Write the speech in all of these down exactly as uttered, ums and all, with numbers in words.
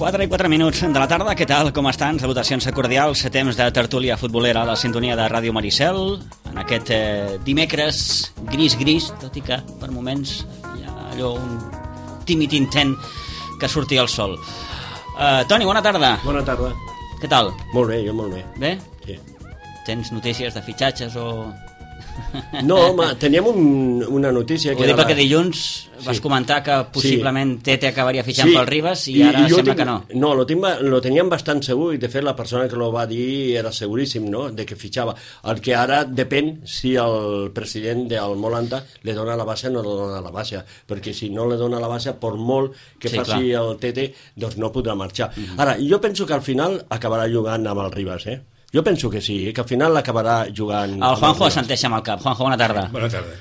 quatre i quatre minuts de la tarda, què tal, com estan? Salutacions cordials, temps de tertúlia futbolera a la sintonia de Ràdio Maricel, en aquest eh, dimecres gris-gris, tot i que per moments hi ha allò un tímid intent que surti el sol. Uh, Toni, bona tarda. Bona tarda. Què tal? Molt bé, jo molt bé. Bé? Sí. Tens notícies de fitxatges o...? No, home, teníem un, una notícia... Ho dic perquè dilluns sí. vas comentar que possiblement sí. Tete acabaria fitxant sí. pel Ribas i, I ara I sembla tinc, que no. No, lo, tinc, lo teníem bastant segur i de fet la persona que lo va dir era seguríssim, no?, de que fitxava. El que ara depèn si el president del Molanta li dona la baixa o no li dona la baixa, perquè si no li dona la baixa, per molt que sí, faci clar. el Tete, doncs no podrà marxar. Mm-hmm. Ara, jo penso que al final acabarà jugant amb el Ribas, eh? Jo penso que sí, que al final l'acabarà jugant... El Juanjo assenteix amb el cap. Juanjo, bona tarda. Bona tarda.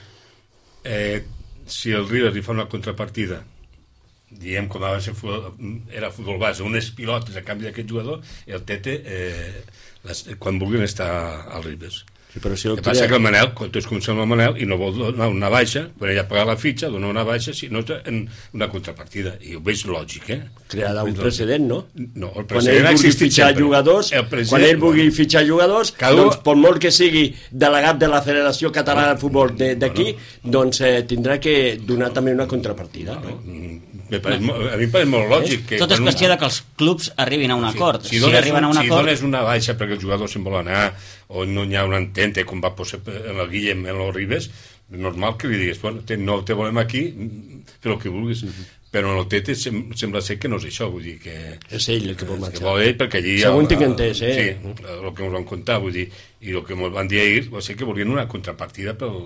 Eh, si el Ribas li fa una contrapartida, diem com va ser futbol, era futbol base, unes pilotes a canvi d'aquest jugador, el Tete, eh, les, quan vulguin estar al Ribas. Sí, però si el que passa que el Manel, quan tu es comença amb el Manel i no vol donar una baixa, quan ella ha pagat la fitxa, dona una baixa, si no en una contrapartida. I ho veig lògic, eh? Crearà un precedent, no? No, el quan precedent ell vulgui fitxar sempre. jugadors, quan ell vulgui bueno, fitxar jugadors, cada... doncs, per molt que sigui delegat de la Federació Catalana de Futbol d'aquí, bueno, doncs eh, tindrà que donar també una contrapartida, no? no? Me pareix, no. A mi em pareix molt lògic. Que tot és qüestió de que els clubs arribin a un acord. Si, si, si arriben un, a un si acord... dones una baixa perquè el jugador se'n vol anar o no hi ha un entente, com va posar en el Guillem en los Ribes, normal que li digues, bueno, te, no te volem aquí, fer el que vulguis. Mm-hmm. Però en el Tete sem, sembla ser que no és això, vull dir que... És ell el que vol marxar. Que vol ell, perquè allí... Segon tinc entès, eh? Sí, el que ens van contar, vull dir, i el que ens van dir ahir va ser que volien una contrapartida pel...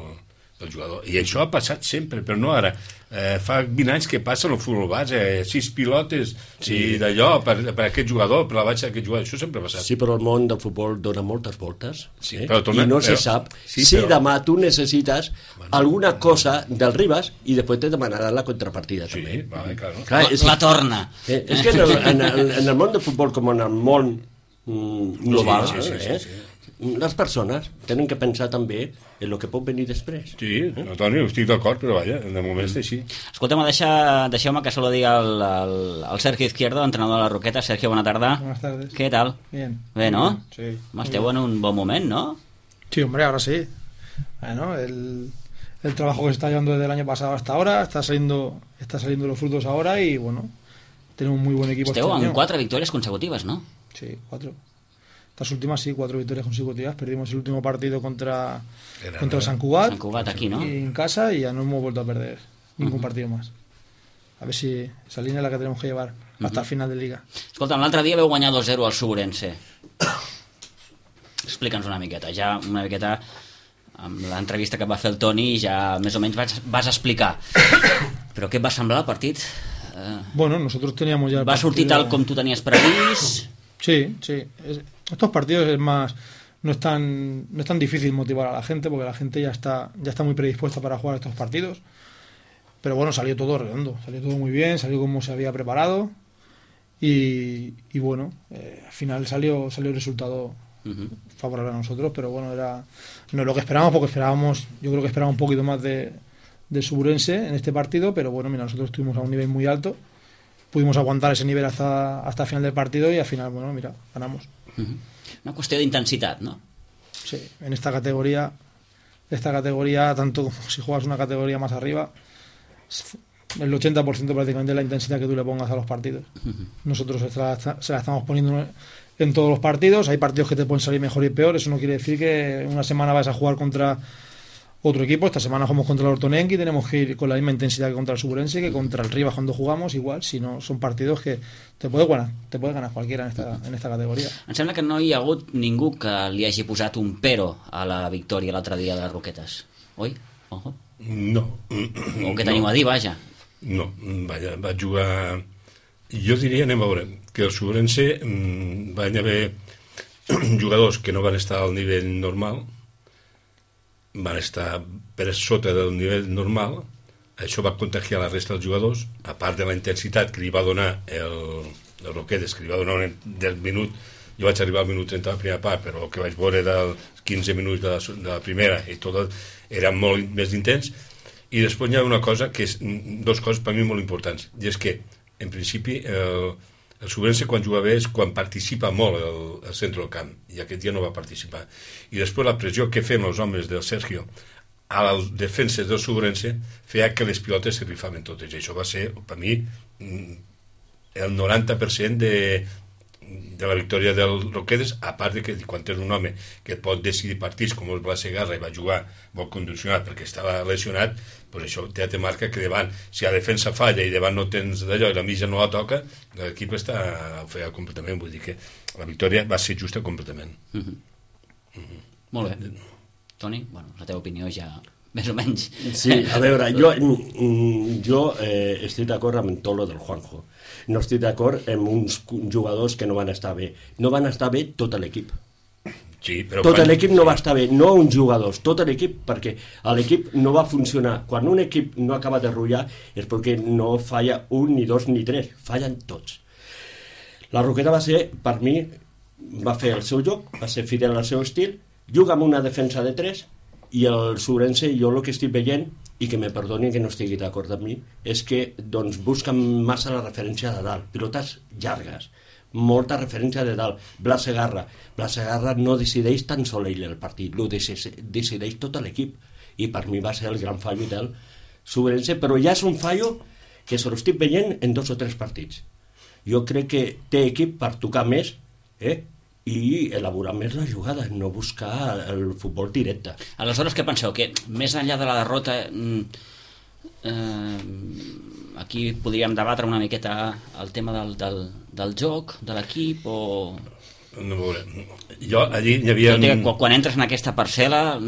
del jugador. I això ha passat sempre, però no ara. Eh, fa vint anys que passa el futbol base, eh, sis pilotes sí. i d'allò per, per aquest jugador, per la baixa d'aquest jugador, això sempre ha passat. Sí, però el món del futbol dona moltes voltes, sí, eh? però torna, i no però, se sap sí, si però... demà tu necessites bueno, alguna cosa del Ribas i després te demanaran la contrapartida sí, també. Vale, claro. Clar, és la, la torna. Eh, és que en el, en, el, en el món del futbol com en el món mm, global, sí, sí, sí, eh? sí, sí. les persones tenen que pensar també en el que pot venir després. Sí, no, Toni, estic d'acord, però vaja, de moment està així. Escolta'm, deixa, deixeu-me que saludi el, el, el Sergio Izquierdo, entrenador de la Roqueta. Sergio, bona tarda. Buenas tardes. ¿Qué tal? Bien. Bé, ¿no? Sí. Esteu en un bon moment, ¿no? Sí, hombre, ahora sí. Bueno, el, el trabajo que se está llevando desde el año pasado hasta ahora, está saliendo, está saliendo los frutos ahora y, bueno, tenemos un muy buen equipo. Esteu este en año. quatre victòries consecutives, ¿no? Sí, cuatro. Estas últimas sí, cuatro victorias consecutivas. Perdimos el último partido contra, Era, contra no, Sant Cugat, Sant Cugat aquí, ¿no? y en casa, y ya no hemos vuelto a perder ningún uh-huh. partido más. A ver si esa línea es la que tenemos que llevar hasta uh-huh. el final de Liga. Escolta'm, l'altre dia veu guanyar dos zero al Suburense. Explica'ns una miqueta, ja una miqueta amb l'entrevista que va fer el Toni ja més o menys vas, vas explicar. Però què et va semblar el partit? Eh, bueno, nosotros teníamos ya... Va sortir tal com tu tenies previst? Sí, sí. Es, estos partidos es más... No es, tan, no es tan difícil motivar a la gente porque la gente ya está, ya está muy predispuesta para jugar estos partidos. Pero bueno, salió todo redondo. Salió todo muy bien, salió como se había preparado. Y, y bueno, eh, al final salió, salió el resultado uh-huh. favorable a nosotros. Pero bueno, era no es lo que esperábamos porque esperábamos... Yo creo que esperábamos un poquito más de, de Suburense en este partido. Pero bueno, mira, nosotros estuvimos a un nivel muy alto. Pudimos aguantar ese nivel hasta, hasta el final del partido y al final, bueno, mira, ganamos. Uh-huh. Una qüestió d'intensitat, ¿no? Sí, en esta categoría, esta categoría, tanto como si juegas una categoría más arriba, el ochenta por ciento prácticamente es la intensidad que tú le pongas a los partidos. Uh-huh. Nosotros se la, se la estamos poniendo en todos los partidos. Hay partidos que te pueden salir mejor y peor. Eso no quiere decir que una semana vas a jugar contra otro equipo. Esta semana jugamos contra el Ortonenqui y tenemos que ir con la misma intensidad que contra el Suburense, que contra el Ribas cuando jugamos igual, si no son partidos que te puede ganar, te puede ganar cualquiera en esta, en esta categoria. Em sembla que no hi ha hagut ningú que li hagi posat un pero a la victòria l'altre dia de les Roquetes, oi? Ojo. No. O què teniu no. a dir, vaja? No, vaja, va jugar... Jo diria, anem a veure, que el Suburense mmm, van haver jugadors que no van estar al nivell normal, van estar per sota del nivell normal. Això va contagiar la resta dels jugadors, a part de la intensitat que li va donar el, el Roquetes, que li va donar del minut. Jo vaig arribar al minut trenta de la primera part, però el que vaig veure dels quinze minuts de la, de la primera i tot era molt més intens. I després hi ha una cosa que és, dos coses per mi molt importants, i és que en principi el, El Subrense quan juga bé és quan participa molt el, el centre del camp, i aquest dia no va participar. I després la pressió que fem els homes del Sergio a les defenses del Subrense feia que les pilotes se rifaven totes. I això va ser, per mi, el noranta per cent de, de la victòria del Roquetes, a part de que quan tens un home que pot decidir partits com el Blas Segarra i va jugar molt condicionat perquè estava lesionat, pues això ja te marca que davant, si la defensa falla i davant no tens d'allò i la mitja no la toca, l'equip està ofegat completament. Vull dir que la victòria va ser justa completament. Mm-hmm. Mm-hmm. Molt bé. Toni, bueno, la teva opinió ja més o menys. Sí, a veure, jo, jo eh, estic d'acord amb tot lo del Juanjo. No estic d'acord amb uns jugadors que no van estar bé. No van estar bé tot l'equip. Sí, però tot quan... l'equip no va estar bé, no uns jugadors, tot l'equip, perquè l'equip no va funcionar. Quan un equip no acaba de rotllar és perquè no falla un, ni dos, ni tres, fallen tots. La Roqueta va ser, per mi, va fer el seu joc, va ser fidel al seu estil, juga amb una defensa de tres, i el Subrense, jo el que estic veient, i que me perdoni que no estigui d'acord amb mi, és que doncs, busquen massa la referència de dalt, pilotes llargues, molta referència de dalt. Blas Segarra, Blas Segarra no decideix tan sol ell el partit, lo decideix tot l'equip, i per mi va ser el gran fallo del Subrense, però ja és un fallo que se l'estic veient en dos o tres partits. Jo crec que té equip per tocar més, eh? i elaborar més la jugada, no buscar el futbol directe. Aleshores, què penseu? Que més enllà de la derrota, eh, aquí podríem debatre una miqueta el tema del, del, del joc, de l'equip, o... No, veure, jo allí hi havia... Que, quan, quan entres en aquesta parcel·la...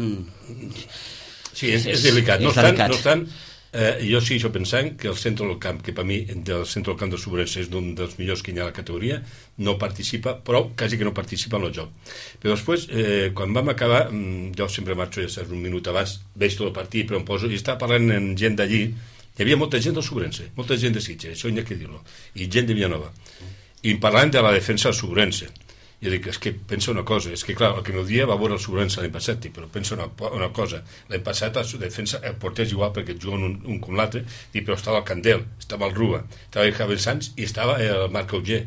Sí, és, és delicat. No obstant, no obstant eh, jo sí, jo pensant que el centre del camp, que per mi del centre del camp del Subrense és d'un dels millors que hi ha a la categoria, no participa, però quasi que no participa en el joc. Però després, eh, quan vam acabar, jo sempre marxo, ja saps, un minut abans, veig tot el partit, però em poso, i estava parlant amb gent d'allí, hi havia molta gent del Subrense, molta gent de Sitges, això hi ha que dir-lo, i gent de Villanova, i parlant de la defensa del Subrense. Jo dic, és que pensa una cosa, és que clar, el que no dia va veure el Subrense l'any passat, però pensa una, una cosa, l'any passat la defensa, el porter és igual perquè juguen un, un com l'altre, però estava el Candel, estava el Rua, estava el Javier Sanz i estava el Marc Auger.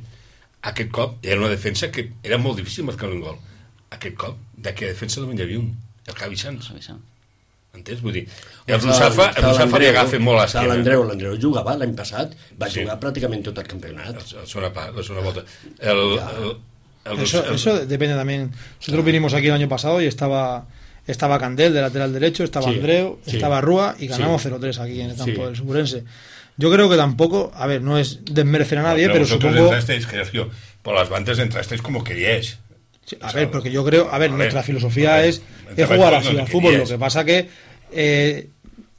Aquest cop era una defensa que era molt difícil marcar un gol. Aquest cop, d'aquella defensa només hi havia un, el Javi Sanz. Entens? Vull dir, el Rusafa, el Rusafa li agafa molt a l'esquena. L'Andreu, l'Andreu jugava l'any passat, va sí. jugar pràcticament tot el campionat. La segona part, la segona volta. El, ja. el, el, eso, el, eso depende también. Nosotros vinimos aquí el año pasado y estaba estaba Candel de lateral derecho, estaba sí, Andreu, sí. estaba Rúa y ganamos sí. cero tres aquí en el campo sí. del Subrense. Yo creo que tampoco, a ver, no es desmerecer a nadie, no, pero, pero supongo... Entrasteis, Sergio, por las bandas entrasteis como queríais. Sí, a o sea, ver, porque yo creo, a ver, a nuestra ver, filosofía ver, es, es jugar así al fútbol. Lo que pasa que eh,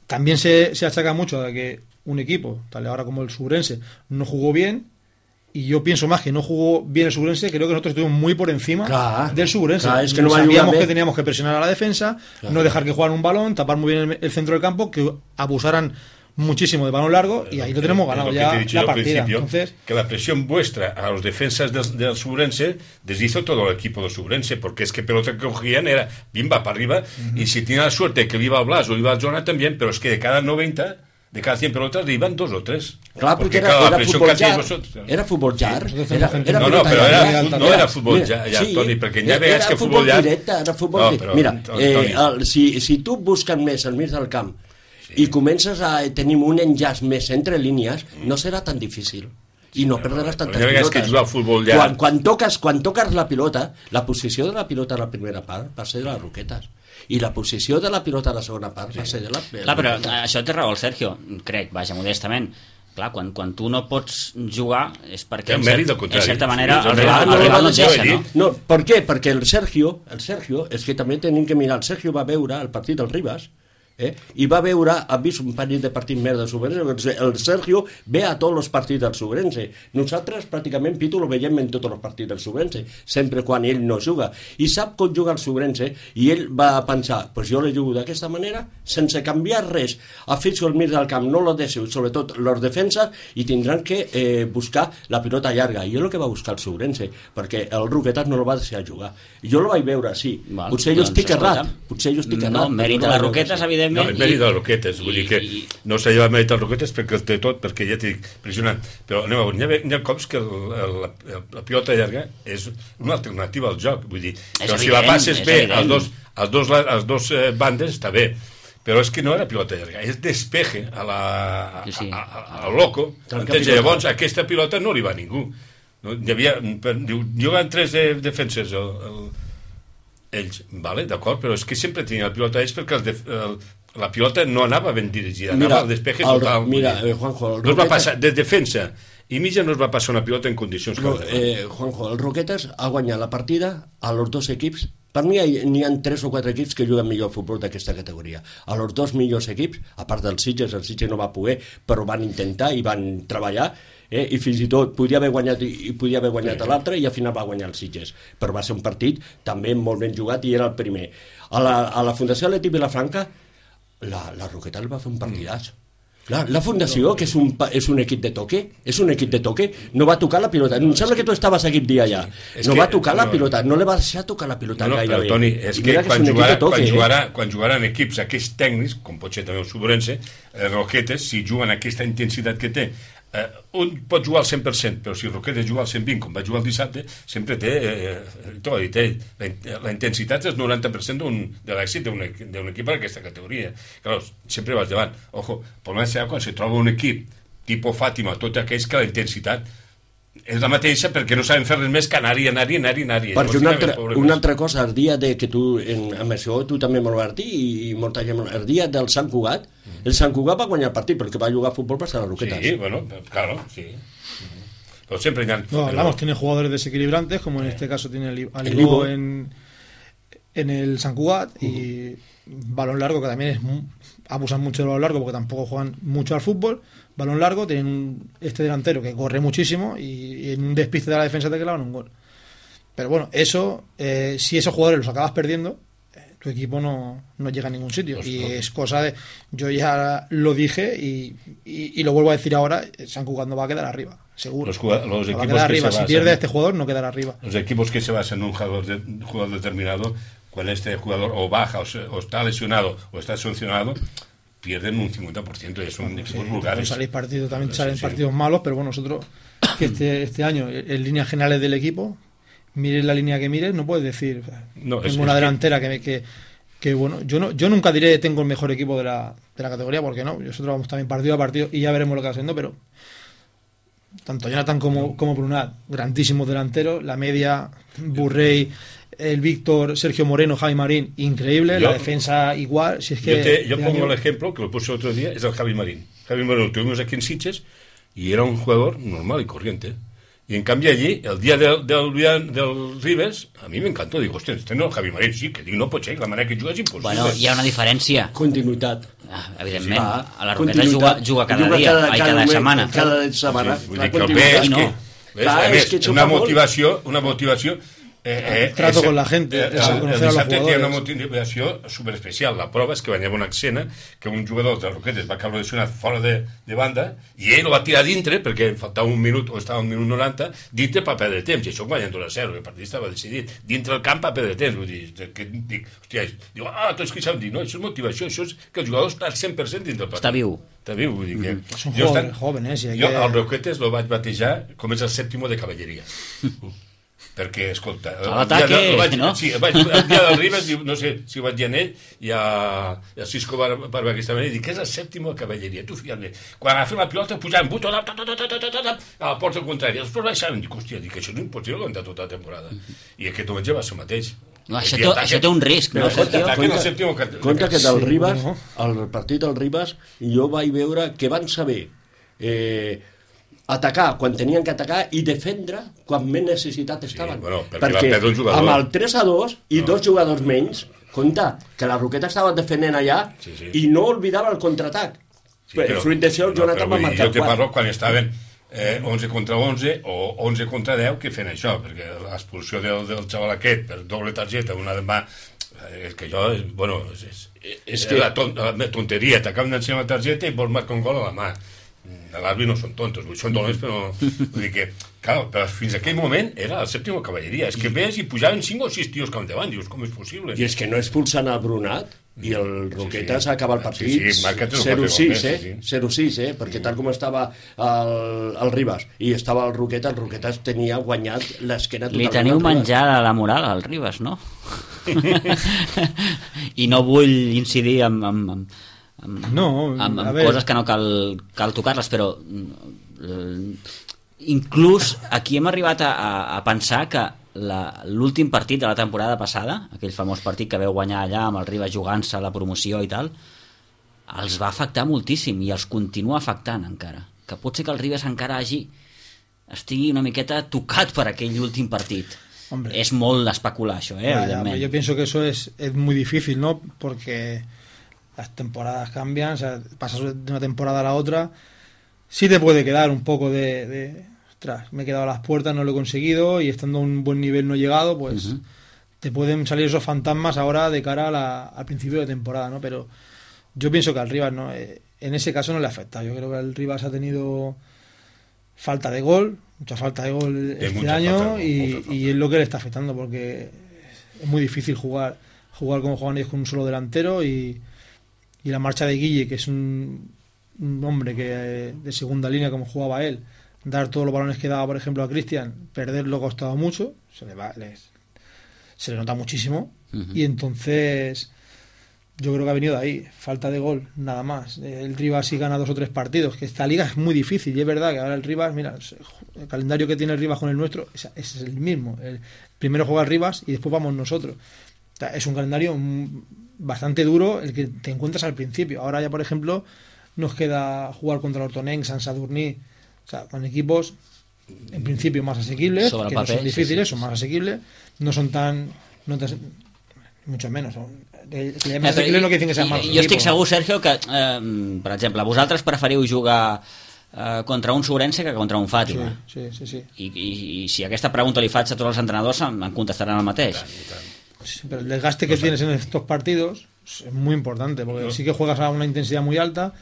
también se, se achaca mucho de que un equipo, tal ahora como el Subrense, no jugó bien. Y yo pienso más que no jugó bien el Subrense, creo que nosotros estuvimos muy por encima claro, del Subrense. Claro, es que no sabíamos que teníamos que presionar a la defensa, claro. no dejar que jugaran un balón, tapar muy bien el, el centro del campo, que abusaran muchísimo de balón largo, y ahí lo tenemos ganado ya la partida. Entonces, que la presión vuestra a los defensas del, del Subrense deshizo todo el equipo del Subrense, porque es que pelota que cogían era bimba para arriba, uh-huh. y si tenía la suerte que iba al Blas o iba al Zona también, pero es que de cada noventa... de cada cien pelotas iban dos o tres. Claro, porque, porque era, era fútbol jar. Vosotros, era fútbol jar. Sí, era, era no, no, pero era, no era fútbol jar, ja, sí, Toni, perquè ja veies que fútbol jar... Directe, era futbol no, però, Mira, eh, el, si, si tu busques més al mig del camp sí. i comences a tenir un enllaç més entre línies, mm. no serà tan difícil. I no perdràs tantes ja pilotes. Que jugar a futbol jar... quan, quan, toques, quan toques la pilota, la posició de la pilota a la primera part va ser de les Roquetes. I la posició de la pilota a la segona part sí. va ser de la... Clar, però això té raó el Sergio, crec, vaja, modestament. Clar, quan, quan tu no pots jugar és perquè, en, cert, en certa manera, sí, el, rival, no, el rival no et deixa, no? No, per què? Perquè el Sergio, el Sergio, és que també tenim que mirar, el Sergio va veure el partit del Ribas, Eh? i va veure, ha vist un parell de partits més del Subrense, el Sergio ve a tots els partits del Subrense, nosaltres pràcticament Pitu lo veiem en tots els partits del Subrense, sempre quan ell no juga, i sap com juga el Subrense, i ell va pensar, pues jo le jugo d'aquesta manera, sense canviar res, afixo al mig del camp, no lo deixo, sobretot les defenses, i tindran que eh, buscar la pilota llarga, i és el que va buscar el Subrense, perquè el Roquetas no lo va deixar jugar, jo lo vaig veure, sí, Val, potser jo doncs, estic errat, potser jo estic errat, no, mèrit de les Roquetes, evidentment, evidentment... No, és mèrit de Roquetes, vull dir que no s'ha llevat mèrit de Roquetes perquè el té tot, perquè ja t'he dit, pressionant. Però anem a veure, hi ha, hi ha cops que el, el, la, la pilota llarga és una alternativa al joc, vull dir, però si la passes bé als dos, als dos, als dos eh, bandes està bé, però és que no era pilota llarga, és despeje a la, a, sí, sí. a, a, a, a loco, entens? Llavors aquesta pilota no li va a ningú. No? Hi havia, diu, juguen tres de, defensors el, el, ells, vale, d'acord, però és que sempre tenia la pilota ells perquè el, el, la pilota no anava ben dirigida, anava mira, al despeje el, total. Mira, eh, Juanjo, no es va passar de defensa i mitja no es va passar una pilota en condicions no, eh, Juanjo, el Roquetes ha guanyat la partida a los dos equips. Per mi n'hi ha tres o quatre equips que juguen millor futbol d'aquesta categoria. A los dos millors equips, a part dels Sitges, el Sitges no va poder, però van intentar i van treballar, eh? I fins i tot podia haver guanyat i podia haver guanyat sí. l'altre i al final va guanyar el Sitges. Però va ser un partit també molt ben jugat i era el primer. A la, a la Fundació Atlètic Vilafranca, la, la Roqueta el va fer un partidàs. Mm. La, la Fundació, que és un, és un equip de toque, és un equip de toque, no va tocar la pilota. Em sembla que tu estaves aquell dia allà. Sí, no que, va tocar no, la pilota, no li va deixar tocar la pilota no, no, gaire bé. Toni, és que, que quan, jugarà, toque, quan, jugarà, eh? quan jugaran equips aquests tècnics, com pot ser també el Subrense, eh, Roquetes, si juguen aquesta intensitat que té, eh, un pot jugar al cent per cent, però si Roquetes juga al cent vint, com va jugar el dissabte, sempre té, eh, t'ho ha dit ell, la, la intensitat és el noranta per cent de l'èxit d'un equip d'aquesta categoria. Clar, sempre vas davant. Ojo, el problema serà quan se troba un equip tipus Fàtima, tot aquells que la intensitat és la mateixa perquè no saben fer res més que anar-hi, anar-hi, anar-hi, anar-hi. Perquè una altra, una altra cosa, el dia de que tu, en, amb això, tu també me lo vas dir i, i molta gent, el dia del Sant Cugat, mm. el Sant Cugat va guanyar el partit, perquè va jugar a futbol per ser a Roquetas. Sí, bueno, claro, sí. Pero siempre ya... No, hablamos, tiene jugadores desequilibrantes, como en este caso tiene el Aligo en, en el Sant Cugat, uh-huh. y balón largo, que también es abusan mucho del balón largo porque tampoco juegan mucho al fútbol. Balón largo, tienen un, este delantero que corre muchísimo y, y en un despiste de la defensa te clavan un gol. Pero bueno, eso, eh, si esos jugadores los acabas perdiendo, eh, tu equipo no, no llega a ningún sitio. Pues y no. Es cosa de... Yo ya lo dije y, y, y lo vuelvo a decir ahora, Sant Cugat no va a quedar arriba, seguro. Los, los no va a quedar arriba. Si pierde este jugador, no quedará arriba. Los equipos que se basan en un jugador, de, un jugador determinado, cuando este jugador o baja o, se, o está lesionado o está sancionado, pierden un cincuenta por ciento y son equipos sí, vulgares. Salen partidos, también sí, salen sí. partidos malos, pero bueno, nosotros que este, este año, en líneas generales del equipo, mires la línea que mires, no puedes decir no, tengo es, una es delantera que, que, que bueno, yo no yo nunca diré tengo el mejor equipo de la, de la categoría, porque no, nosotros vamos también partido a partido y ya veremos lo que va haciendo, pero tanto Jonathan como, como Brunat, grandísimos delanteros, la media, Burrey, el Víctor, Sergio Moreno, Javi Marín, increíble, yo, la defensa igual. Si es que yo te, yo pongo año... el ejemplo, que lo puse otro día, es el Javi Marín. Javi Marín lo tuvimos aquí en Sitges y era un jugador normal y corriente. Y en cambio allí, el día del, del, del Ribes, a mi m'encantó. Dic, hòstia, este no el Javi Marín, sí, que dic, no pot ser, la manera que juga és impossible. Bueno, hi ha una diferència. Continuïtat. Ah, evidentment, sí, a la Roqueta juga, juga cada juga dia, cada, cada, cada setmana. Cada setmana. Sí, vull dir que el bé és que, ves, a més, que una motivació, una motivació Eh, eh, trato ese, con la gente, eh, el, el dissabte tenia una motivació superespecial. La prova és que venia una escena que un jugador de Roquetes va caure lesionat fora de, de banda i ell el va tirar dintre perquè faltava un minut o estava un minut noranta dintre per perdre temps, i això guanyant dos a zero, el partit estava decidit dintre el camp per perdre temps. Vull dir, que dic, hòstia, diu, ah, tots que saben dir, no, això és motivació, això és que el jugador està al cent per cent dintre el partit. Està viu. Està viu, vull dir que... Mm-hmm. Són joven, joven, eh? Si jo que... al Roquetes lo vaig batejar com és el sèptimo de cavalleria. Perquè, escolta, el dia, de, vaig, no? Sí, vaig, el dia del Ribes, no sé si ho vaig dir a ell i a, a Cisco Barba aquesta manera, i dic, és el sèptimo de cavalleria, tu fiant-me. Quan agafem la pilota, pujàvem buto a la porta contrària, després baixàvem, dic, hòstia, dic, això no és impossible aguantar tota la temporada. I aquest diumenge va ser el mateix. No, això, té, això té un risc, no? Compte que del Ribes, el partit del Ribes, jo vaig veure que van saber... Eh, atacar quan tenien que atacar i defendre quan més necessitat estaven. Sí, bueno, perquè perquè amb el tres a dos i no. dos jugadors menys, compte que la Roqueta estava defendent allà sí, sí. i no oblidava el contraatac. Sí, però, fruit d'això, el Jonathan no, va marcar jo te parlo quan estaven eh, onze contra onze o onze contra deu que feien això, perquè l'expulsió del, del xaval aquest per doble targeta, una de mà, és que jo, bueno, és, és, és que la, ton, la tonteria, t'acaben d'ensenyar la targeta i vols marcar un gol a la mà. L'àrbitre no són tontos, són dolents, però vull dir que, clar, però fins a aquell moment era el sèptimo cavalleria, és que ves i pujaven cinc o sis tios cap endavant, dius, com és possible? I és que no expulsen el Brunat, i el Roquetes sí, sí. acaba el partit sí, sí, zero sis, eh? sí, sí. zero sis, eh? Perquè tal com estava el, el Ribas i estava el Roquetes, el Roquetes tenia guanyat l'esquena totalment. Li teniu menjada la moral al Ribas, no? I no vull incidir en, en, en, en, no, en, en coses que no cal, cal tocar-les, però inclús aquí hem arribat a, a, a pensar que l'últim partit de la temporada passada, aquell famós partit que veu guanyar allà amb el Ribas jugant-se la promoció i tal, els va afectar moltíssim i els continua afectant encara, que pot ser que el Ribas encara hagi estigui una miqueta tocat per aquell últim partit. Hombre, es molt especular això, eh, ya, ya, yo pienso que eso es, es muy difícil, ¿no? Porque las temporadas cambian, o sea, pasas de una temporada a la otra, sí te puede quedar un poco de, de ostras, me he quedado a las puertas, no lo he conseguido, y estando a un buen nivel no he llegado, pues uh-huh. te pueden salir esos fantasmas ahora de cara a la, al principio de temporada, ¿no? Pero yo pienso que al Ribas, ¿no? Eh, en ese caso no le afecta. Yo creo que el Ribas ha tenido falta de gol, mucha falta de gol este año, falta, y, y es lo que le está afectando, porque es muy difícil jugar jugar como juegan ellos con un solo delantero, y, y la marcha de Guille, que es un, un hombre que de segunda línea como jugaba él, dar todos los balones que daba, por ejemplo, a Cristian, perderlo ha costado mucho, se le va, les, se le nota muchísimo, uh-huh. y entonces yo creo que ha venido de ahí, falta de gol, nada más. El Ribas sí gana dos o tres partidos, que esta liga es muy difícil, y es verdad que ahora el Ribas, mira, el calendario que tiene el Ribas con el nuestro es, es el mismo. El, primero juega el Ribas y después vamos nosotros. O sea, es un calendario bastante duro el que te encuentras al principio. Ahora ya, por ejemplo, nos queda jugar contra el Hortonenc, Sant Sadurní, o sea, con equipos en principio más asequibles, sobre que papel, no son difíciles, sí, sí, son más asequibles, no son tan... No tan mucho menos, son, que, que eh, no quiere decir que sean malos jo equipos. estic segur, Sergio, que eh, per exemple, vosaltres preferiu jugar eh, contra un Sobrense que contra un Fàtima, sí, sí, sí, sí. I, i, i si aquesta pregunta li faig a tots els entrenadors em, em contestaran el mateix. Sí, pero el desgaste que no tienes en estos partidos es muy importante, porque no. sí que juegas a una intensidad muy alta,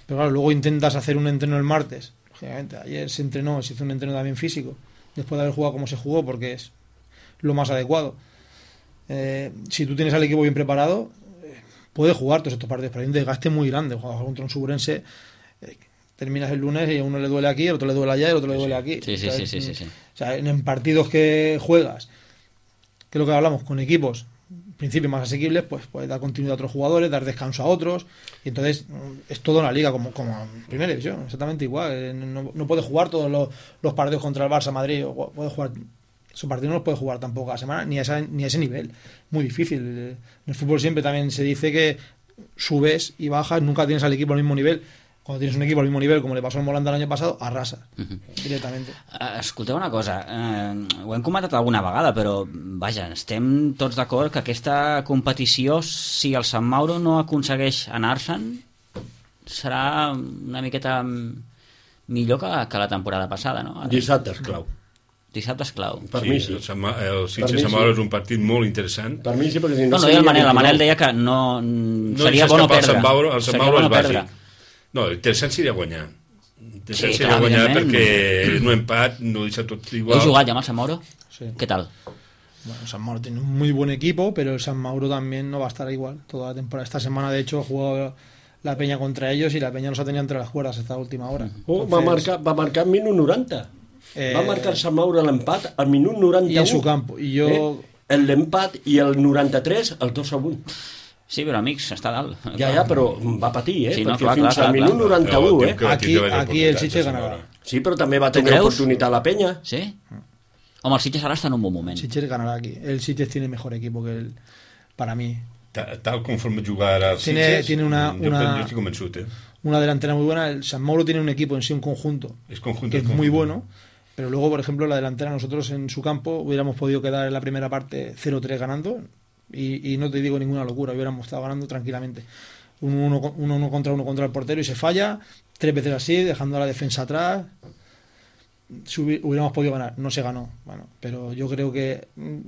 pero claro, luego intentas hacer un entreno el martes. Lógicamente, ayer se entrenó, se hizo un entreno también físico, después de haber jugado como se jugó, porque es lo más adecuado. Eh, si tú tienes al equipo bien preparado, eh, puedes jugar todos estos partidos, pero hay un desgaste muy grande. Jugar contra un Suburense, eh, terminas el lunes y a uno le duele aquí, al otro le duele allá y al otro le duele aquí. Sí, sí, o sea, sí, sí, sí, sí. O sea, en, en partidos que juegas, que es lo que hablamos, con equipos en principio más asequibles, pues puedes dar continuidad a otros jugadores, dar descanso a otros, y entonces es todo una liga como, como en primera división, exactamente igual. No, no puedes jugar todos los, los partidos contra el Barça, Madrid, o puedes jugar. Su partido no los puede jugar tampoco a la semana, ni a, esa, ni a ese nivel. Muy difícil. En el fútbol siempre también se dice que subes y bajas, nunca tienes al equipo al mismo nivel. Cuando tienes un equipo al mismo nivel, como le pasó al Molanda el año pasado, arrasas uh-huh. directament. Uh, escolteu una cosa, uh, ho hem comentat alguna vegada, però vaja, estem tots d'acord que aquesta competició, si el Sant Mauro no aconsegueix anar-se'n, serà una miqueta millor que, que la temporada passada, no? Dissabte és clau. Dissabte és clau. Per sí, mi sí. El, el Sitges Sant Mauro és un partit molt interessant. Per mi sí, perquè si no... No, no, el Manel, el Manel deia que no... no seria bo no perdre. El Sant Mauro, el Sant Mauro és bàsic. Perdre. No, interessant seria guanyar. Interessant Sí, seria clar, guanyar evidentment. perquè no empat, no deixa tot igual. Heu jugat ja amb el Sant Mauro? Sí. ¿Qué tal? Bueno, San Mauro tiene un muy buen equipo, pero el San Mauro también no va a estar igual toda la temporada. Esta semana, de hecho, jugó la Peña contra ellos y la Peña los ha tenido entre las cuerdas esta última hora. Oh, Entonces, va marcar, va marcar minut noranta. Eh, va marcar el Sant Mauro l'empat al minut noranta-u. Y en su campo. Y yo... Eh? L'empat i el noranta-tres, el dos a un. Sí, però amics, està dalt. Ja, ja, però va patir, eh? Sí, no, perquè clar, fins clar, al clar, minut clar. noranta-u, Però, eh? tio, Aquí, aquí el Sitges ganarà. Sí, però també va tenir creus? oportunitat la Peña. Sí? Home, el Sitges ara està en un bon moment. Sitges ganará aquí. El Sitges tiene mejor equipo que el... Para mí. Ta- Tal conforme jugar ara el Tiene- Sitges, tiene una- jo, una- jo estic convençut, eh? Una delantera muy buena. El San Mauro tiene un equipo en sí, un conjunto, És conjunt, que es és muy conjunt. bueno. Pero luego, por ejemplo, la delantera, nosotros en su campo hubiéramos podido quedar en la primera parte cero tres ganando. Y, y no te digo ninguna locura, hubiéramos estado ganando tranquilamente. Un uno, con- uno, uno contra uno contra el portero y se falla. Tres veces así, dejando a la defensa atrás. Subi- hubiéramos podido ganar. No se ganó. Bueno, pero yo creo que mm,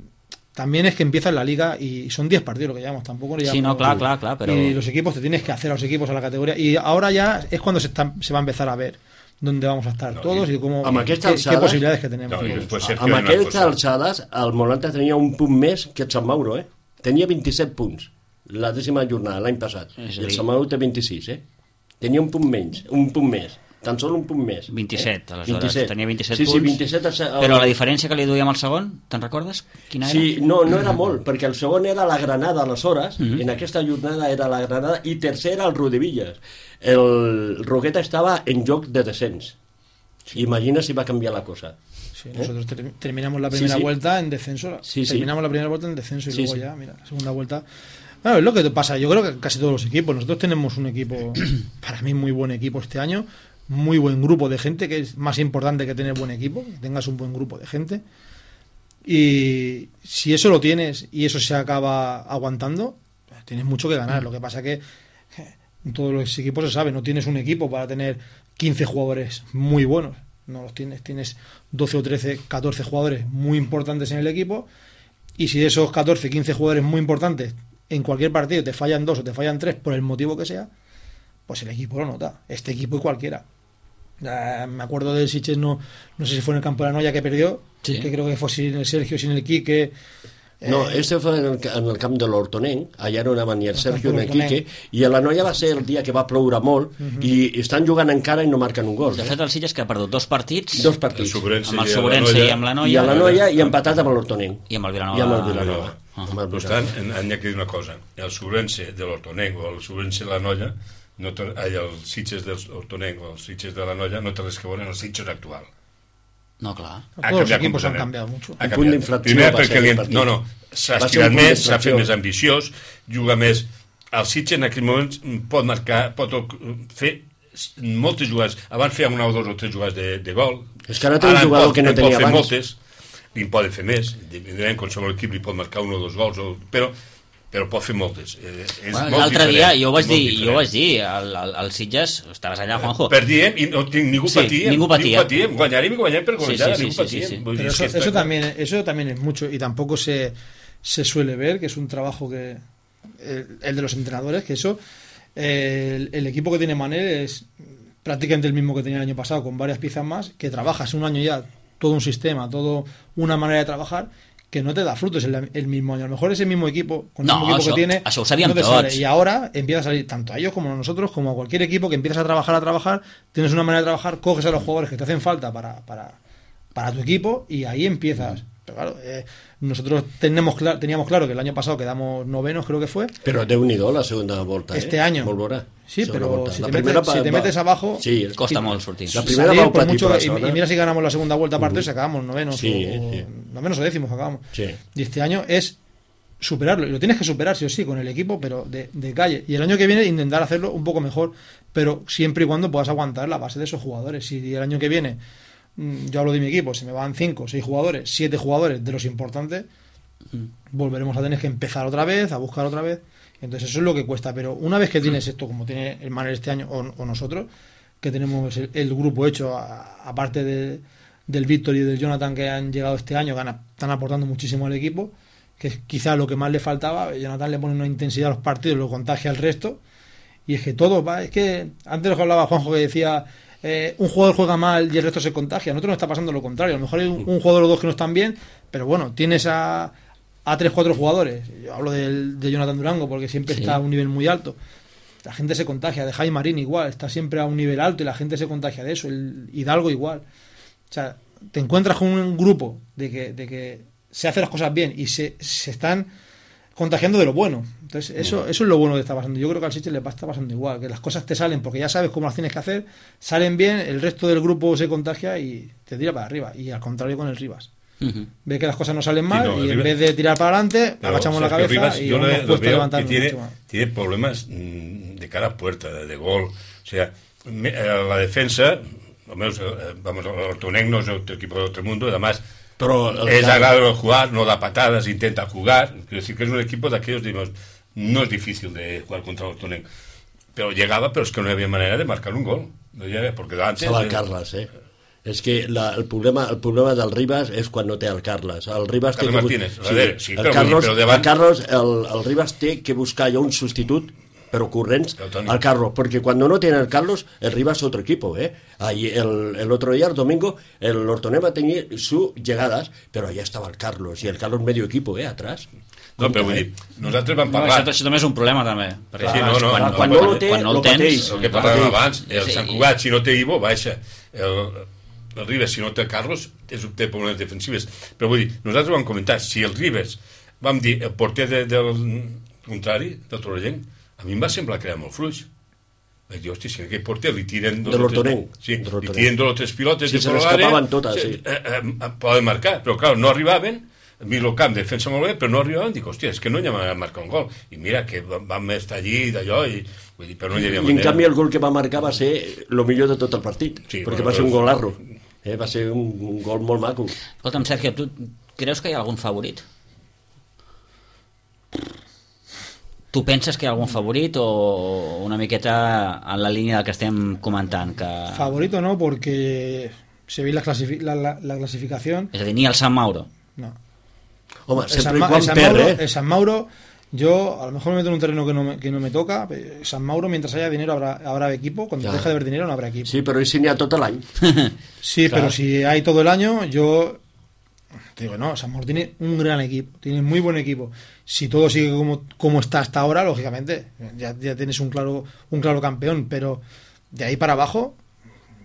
también es que empieza en la liga y son diez partidos lo que llevamos. Tampoco lo Sí, llevamos- no, clar, clar, clar, però... Y los equipos, te tienes que hacer a los equipos a la categoría. Y ahora ya es cuando se, está- se va a empezar a ver dónde vamos a estar No, todos i- y cómo, amb qué, aquestes qué alçades- posibilidades que tenemos. No, i després, Sergio, Amb una aquestes cosa. alçades, el Molanta tenia un punt més que el Sant Mauro, eh? Tenia vint-i-set punts. la dècima jornada, l'any passat. És I el dir... Samau té vint-i-sis, eh? Tenia un punt menys, un punt més. Tan sol un punt més. vint-i-set, eh? aleshores. vint-i-set. Tenia vint-i-set sí, punts. Sí, vint-i-set... El... Però la diferència que li duíem al segon, te'n recordes? Quina era? Sí, no, no era molt, perquè el segon era la Granada, aleshores, Mm-hmm. en aquesta jornada era la Granada, i tercer era el Rodevillas. El Roqueta estava en joc de descens. Sí. Imagina si va canviar la cosa. Sí, ¿Eh? nosotros ter terminamos la primera sí, sí. vuelta en descenso. Sí, sí. Terminamos la primera vuelta en descenso y Sí, luego sí. ya, mira, la segunda vuelta. Bueno, es lo que pasa. Yo creo que casi todos los equipos. Nosotros tenemos un equipo, para mí, muy buen equipo este año. Muy buen grupo de gente, que es más importante que tener buen equipo, que tengas un buen grupo de gente. Y si eso lo tienes y eso se acaba aguantando, tienes mucho que ganar. Lo que pasa que en todos los equipos se sabe, no tienes un equipo para tener quince jugadores muy buenos. No los tienes, tienes doce o trece, catorce jugadores muy importantes en el equipo, y si de esos catorce, quince jugadores muy importantes en cualquier partido te fallan dos o te fallan tres por el motivo que sea, pues el equipo lo nota, este equipo y cualquiera. Uh, me acuerdo del Sitges, no, no sé si fue en el campo de la Noia que perdió, sí. que creo que fue sin el Sergio, sin el Quique. No, eh, este fue en el, en el camp de l'Hortonenc, allà no anaven ni el Sergio ni el Quique, i a la Noia va ser el dia que va ploure molt, uh -huh. i estan jugant encara i no marquen un gol. De eh? fet, el Sitges que ha perdut dos partits, dos partits. amb el Sobrense i amb la Noia, i a la Noia i empatat amb l'Hortonenc. I amb el Vilanova. I amb el Vilanova. Uh -huh. No obstant, han de dir una cosa, el Sobrense de l'Hortonenc o el Sobrense de la Noia, no té, el Sitges de l'Hortonenc o el Sitges de la Noia no té res que veure en el Sitges actual. No, clar. Todos los equipos han cambiado mucho. Un punt d'infracció. Primer perquè li, no, no, s'ha estirat més, s'ha fet més ambiciós, juga més. El Sitges en aquell moment pot marcar, pot fer moltes jugades. Abans feia una o dos o tres jugades de, de gol. És que ara té un jugador pot, que no tenia abans. Moltes, li en poden fer més. Evidentment, qualsevol equip li pot marcar un o dos gols, o, però però pot fer moltes. Eh, bueno, L'altre dia jo ho vaig dir, jo ho vaig dir al, al, al Sitges, estaves allà, Juanjo. Perdíem i no, ningú sí, patia. Ningú patia. patíem, guanyàrem i guanyàrem per guanyar, sí, sí, ningú sí, patia. Sí, sí. Pero eso, eso, también, eso también es mucho, y tampoco se, se suele ver, que es un trabajo que el, el de los entrenadores, que eso, eh, el, el equipo que tiene Manel es prácticamente el mismo que tenía el año pasado, con varias piezas más, que trabajas un año ya, todo un sistema, todo una manera de trabajar, que no te da frutos el, el mismo año. A lo mejor ese mismo equipo, con el no, mismo equipo això, que tiene, això ho sabíem no te tots. Sale. Y ahora empieza a salir, tanto a ellos como a nosotros, como a cualquier equipo, que empiezas a trabajar, a trabajar, tienes una manera de trabajar, coges a los jugadores que te hacen falta para, para, para tu equipo, y ahí empiezas. Pero claro, eh, nosotros tenemos clar, teníamos claro que el año pasado quedamos novenos, creo que fue. Pero Déu-n'hi-do la segunda volta. Este eh? año. Volverà. Sí, segunda pero volta. si, la te primera metes, si te metes abajo, sí, costa molt sortir. La primera salir, va por mucho, la y, y mira si ganamos la segunda vuelta aparte, uh -huh. si acabamos novenos, sí, o, sí. novenos o décimos acabamos. Sí. Y este año es superarlo, y lo tienes que superar sí o sí con el equipo, pero de, de calle. Y el año que viene intentar hacerlo un poco mejor, pero siempre y cuando puedas aguantar la base de esos jugadores. Si el año que viene, yo hablo de mi equipo, se me van cinco, seis jugadores, siete jugadores de los importantes, volveremos a tener que empezar otra vez, a buscar otra vez. Entonces eso es lo que cuesta, pero una vez que tienes esto, como tiene el Manel este año, o, o nosotros, que tenemos el, el grupo hecho, a, aparte de, del Víctor y del Jonathan, que han llegado este año, que han, están aportando muchísimo al equipo, que es quizá lo que más le faltaba. Jonathan le pone una intensidad a los partidos, lo contagia al resto, y es que todo va, es que antes lo que hablaba Juanjo, que decía eh, un jugador juega mal y el resto se contagia. A nosotros nos está pasando lo contrario, a lo mejor hay un, un jugador o dos que no están bien, pero bueno, tienes a a tres, cuatro jugadores. Yo hablo del, de Jonathan Durango porque siempre sí. está a un nivel muy alto. La gente se contagia. De Jaime Marín igual, está siempre a un nivel alto y la gente se contagia de eso. El Hidalgo igual. O sea, te encuentras con un grupo de que, de que se hacen las cosas bien y se, se están contagiando de lo bueno. Entonces eso, eso es lo bueno que está pasando. Yo creo que al Sitges le está pasando igual, que las cosas te salen porque ya sabes cómo las tienes que hacer, salen bien, el resto del grupo se contagia y te tira para arriba. Y al contrario con el Rivas. Uh-huh. Ve que las cosas no salen mal sí, no, y en Rivas, vez de tirar para adelante pero, agachamos la cabeza Rivas, y yo nos cuesta levantarnos tiene, mucho más. Tiene problemas de cara a puerta, de, de gol. O sea, me, la defensa, al menos, vamos, el Hortonenc no es otro equipo de otro mundo, además pero, es claro. agradable jugar, no da patadas, intenta jugar. Quiero decir que es un equipo de aquellos, digamos, no es difícil de jugar contra el Hortonenc. Pero llegaba, pero es que no había manera de marcar un gol. No llega, porque antes... Se va el Carles, eh? És que la, el, problema, el problema del Rivas és quan no té el Carles. El Rivas Carles té que... Martínez, sí, sí, el però, Carlos, però davant... el, Carlos el, el Rivas té que buscar ja un substitut pero corrients Pero, Toni. al Carlos, porque cuando no tiene el Carlos, el Rivas es otro equipo, ¿eh? Ahí el, el otro día, el domingo, el Hortoneva tenía sus llegadas, pero allá estaba el Carlos, y el Carlos medio equipo, ¿eh? Atrás. No, però vull dir, nosaltres vam No, parlar... això, això també és un problema, també. Perquè, Sí, no, no, quan, no, quan, no quan, lo té, quan no el lo tens... pateix. El que parlàvem abans, el Sí, Sant i- Cugat, si no té Ivo, baixa. El, el Ribes, si no té Carlos, és, té problemes defensives. Però vull dir, nosaltres vam comentar, si el Ribes, vam dir, el porter de, del contrari, del Torrellenc, a mi em va semblar que era molt fluix. Vaig dir, hòstia, si aquell porter li tiren... De l'Hortonenc. Sí, De li l'Hortonenc. tiren dos o tres pilotes Sí, de se fora l'àrea, l'escapaven totes, se- sí. Eh, eh, poden marcar, però clar, no arribaven. Miro el camp, defensa molt bé, però no arribaven. Dic, hòstia, és que no hi ha marcar un gol. I mira, que vam vam estar allí, d'allò, i, vull dir, però no hi havia I en manera. canvi el gol que va marcar va ser el millor de tot el partit, Sí, perquè bueno, va ser un però- golarro. Eh? Va ser un, un gol molt maco. Escolta'm, Sergio, tu creus que hi ha algun favorit? Tu penses que hi ha algun favorit o una miqueta en la línia del que estem comentant? Que... Favorito no, porque se ve la, clasifi- la, la, la clasificación. És a dir, ni el Sant Mauro. No. Home, El sempre San, i Ma- el quan San perd, Mauro, eh? el San Mauro, yo a lo mejor me meto en un terreno que no me, que no me toca. eh, San Mauro, mientras haya dinero, habrá, habrá equipo. Cuando Ya. deja de haber dinero, no habrá equipo. Sí, però i si n'hi ha tot l'any? Sí, Claro. pero si hay todo el año, yo te digo, no, San Mauro tiene un gran equipo, tiene muy buen equipo. Si todo sigue como, como está hasta ahora, lógicamente, ya, ya tienes un claro, un claro campeón, pero de ahí para abajo,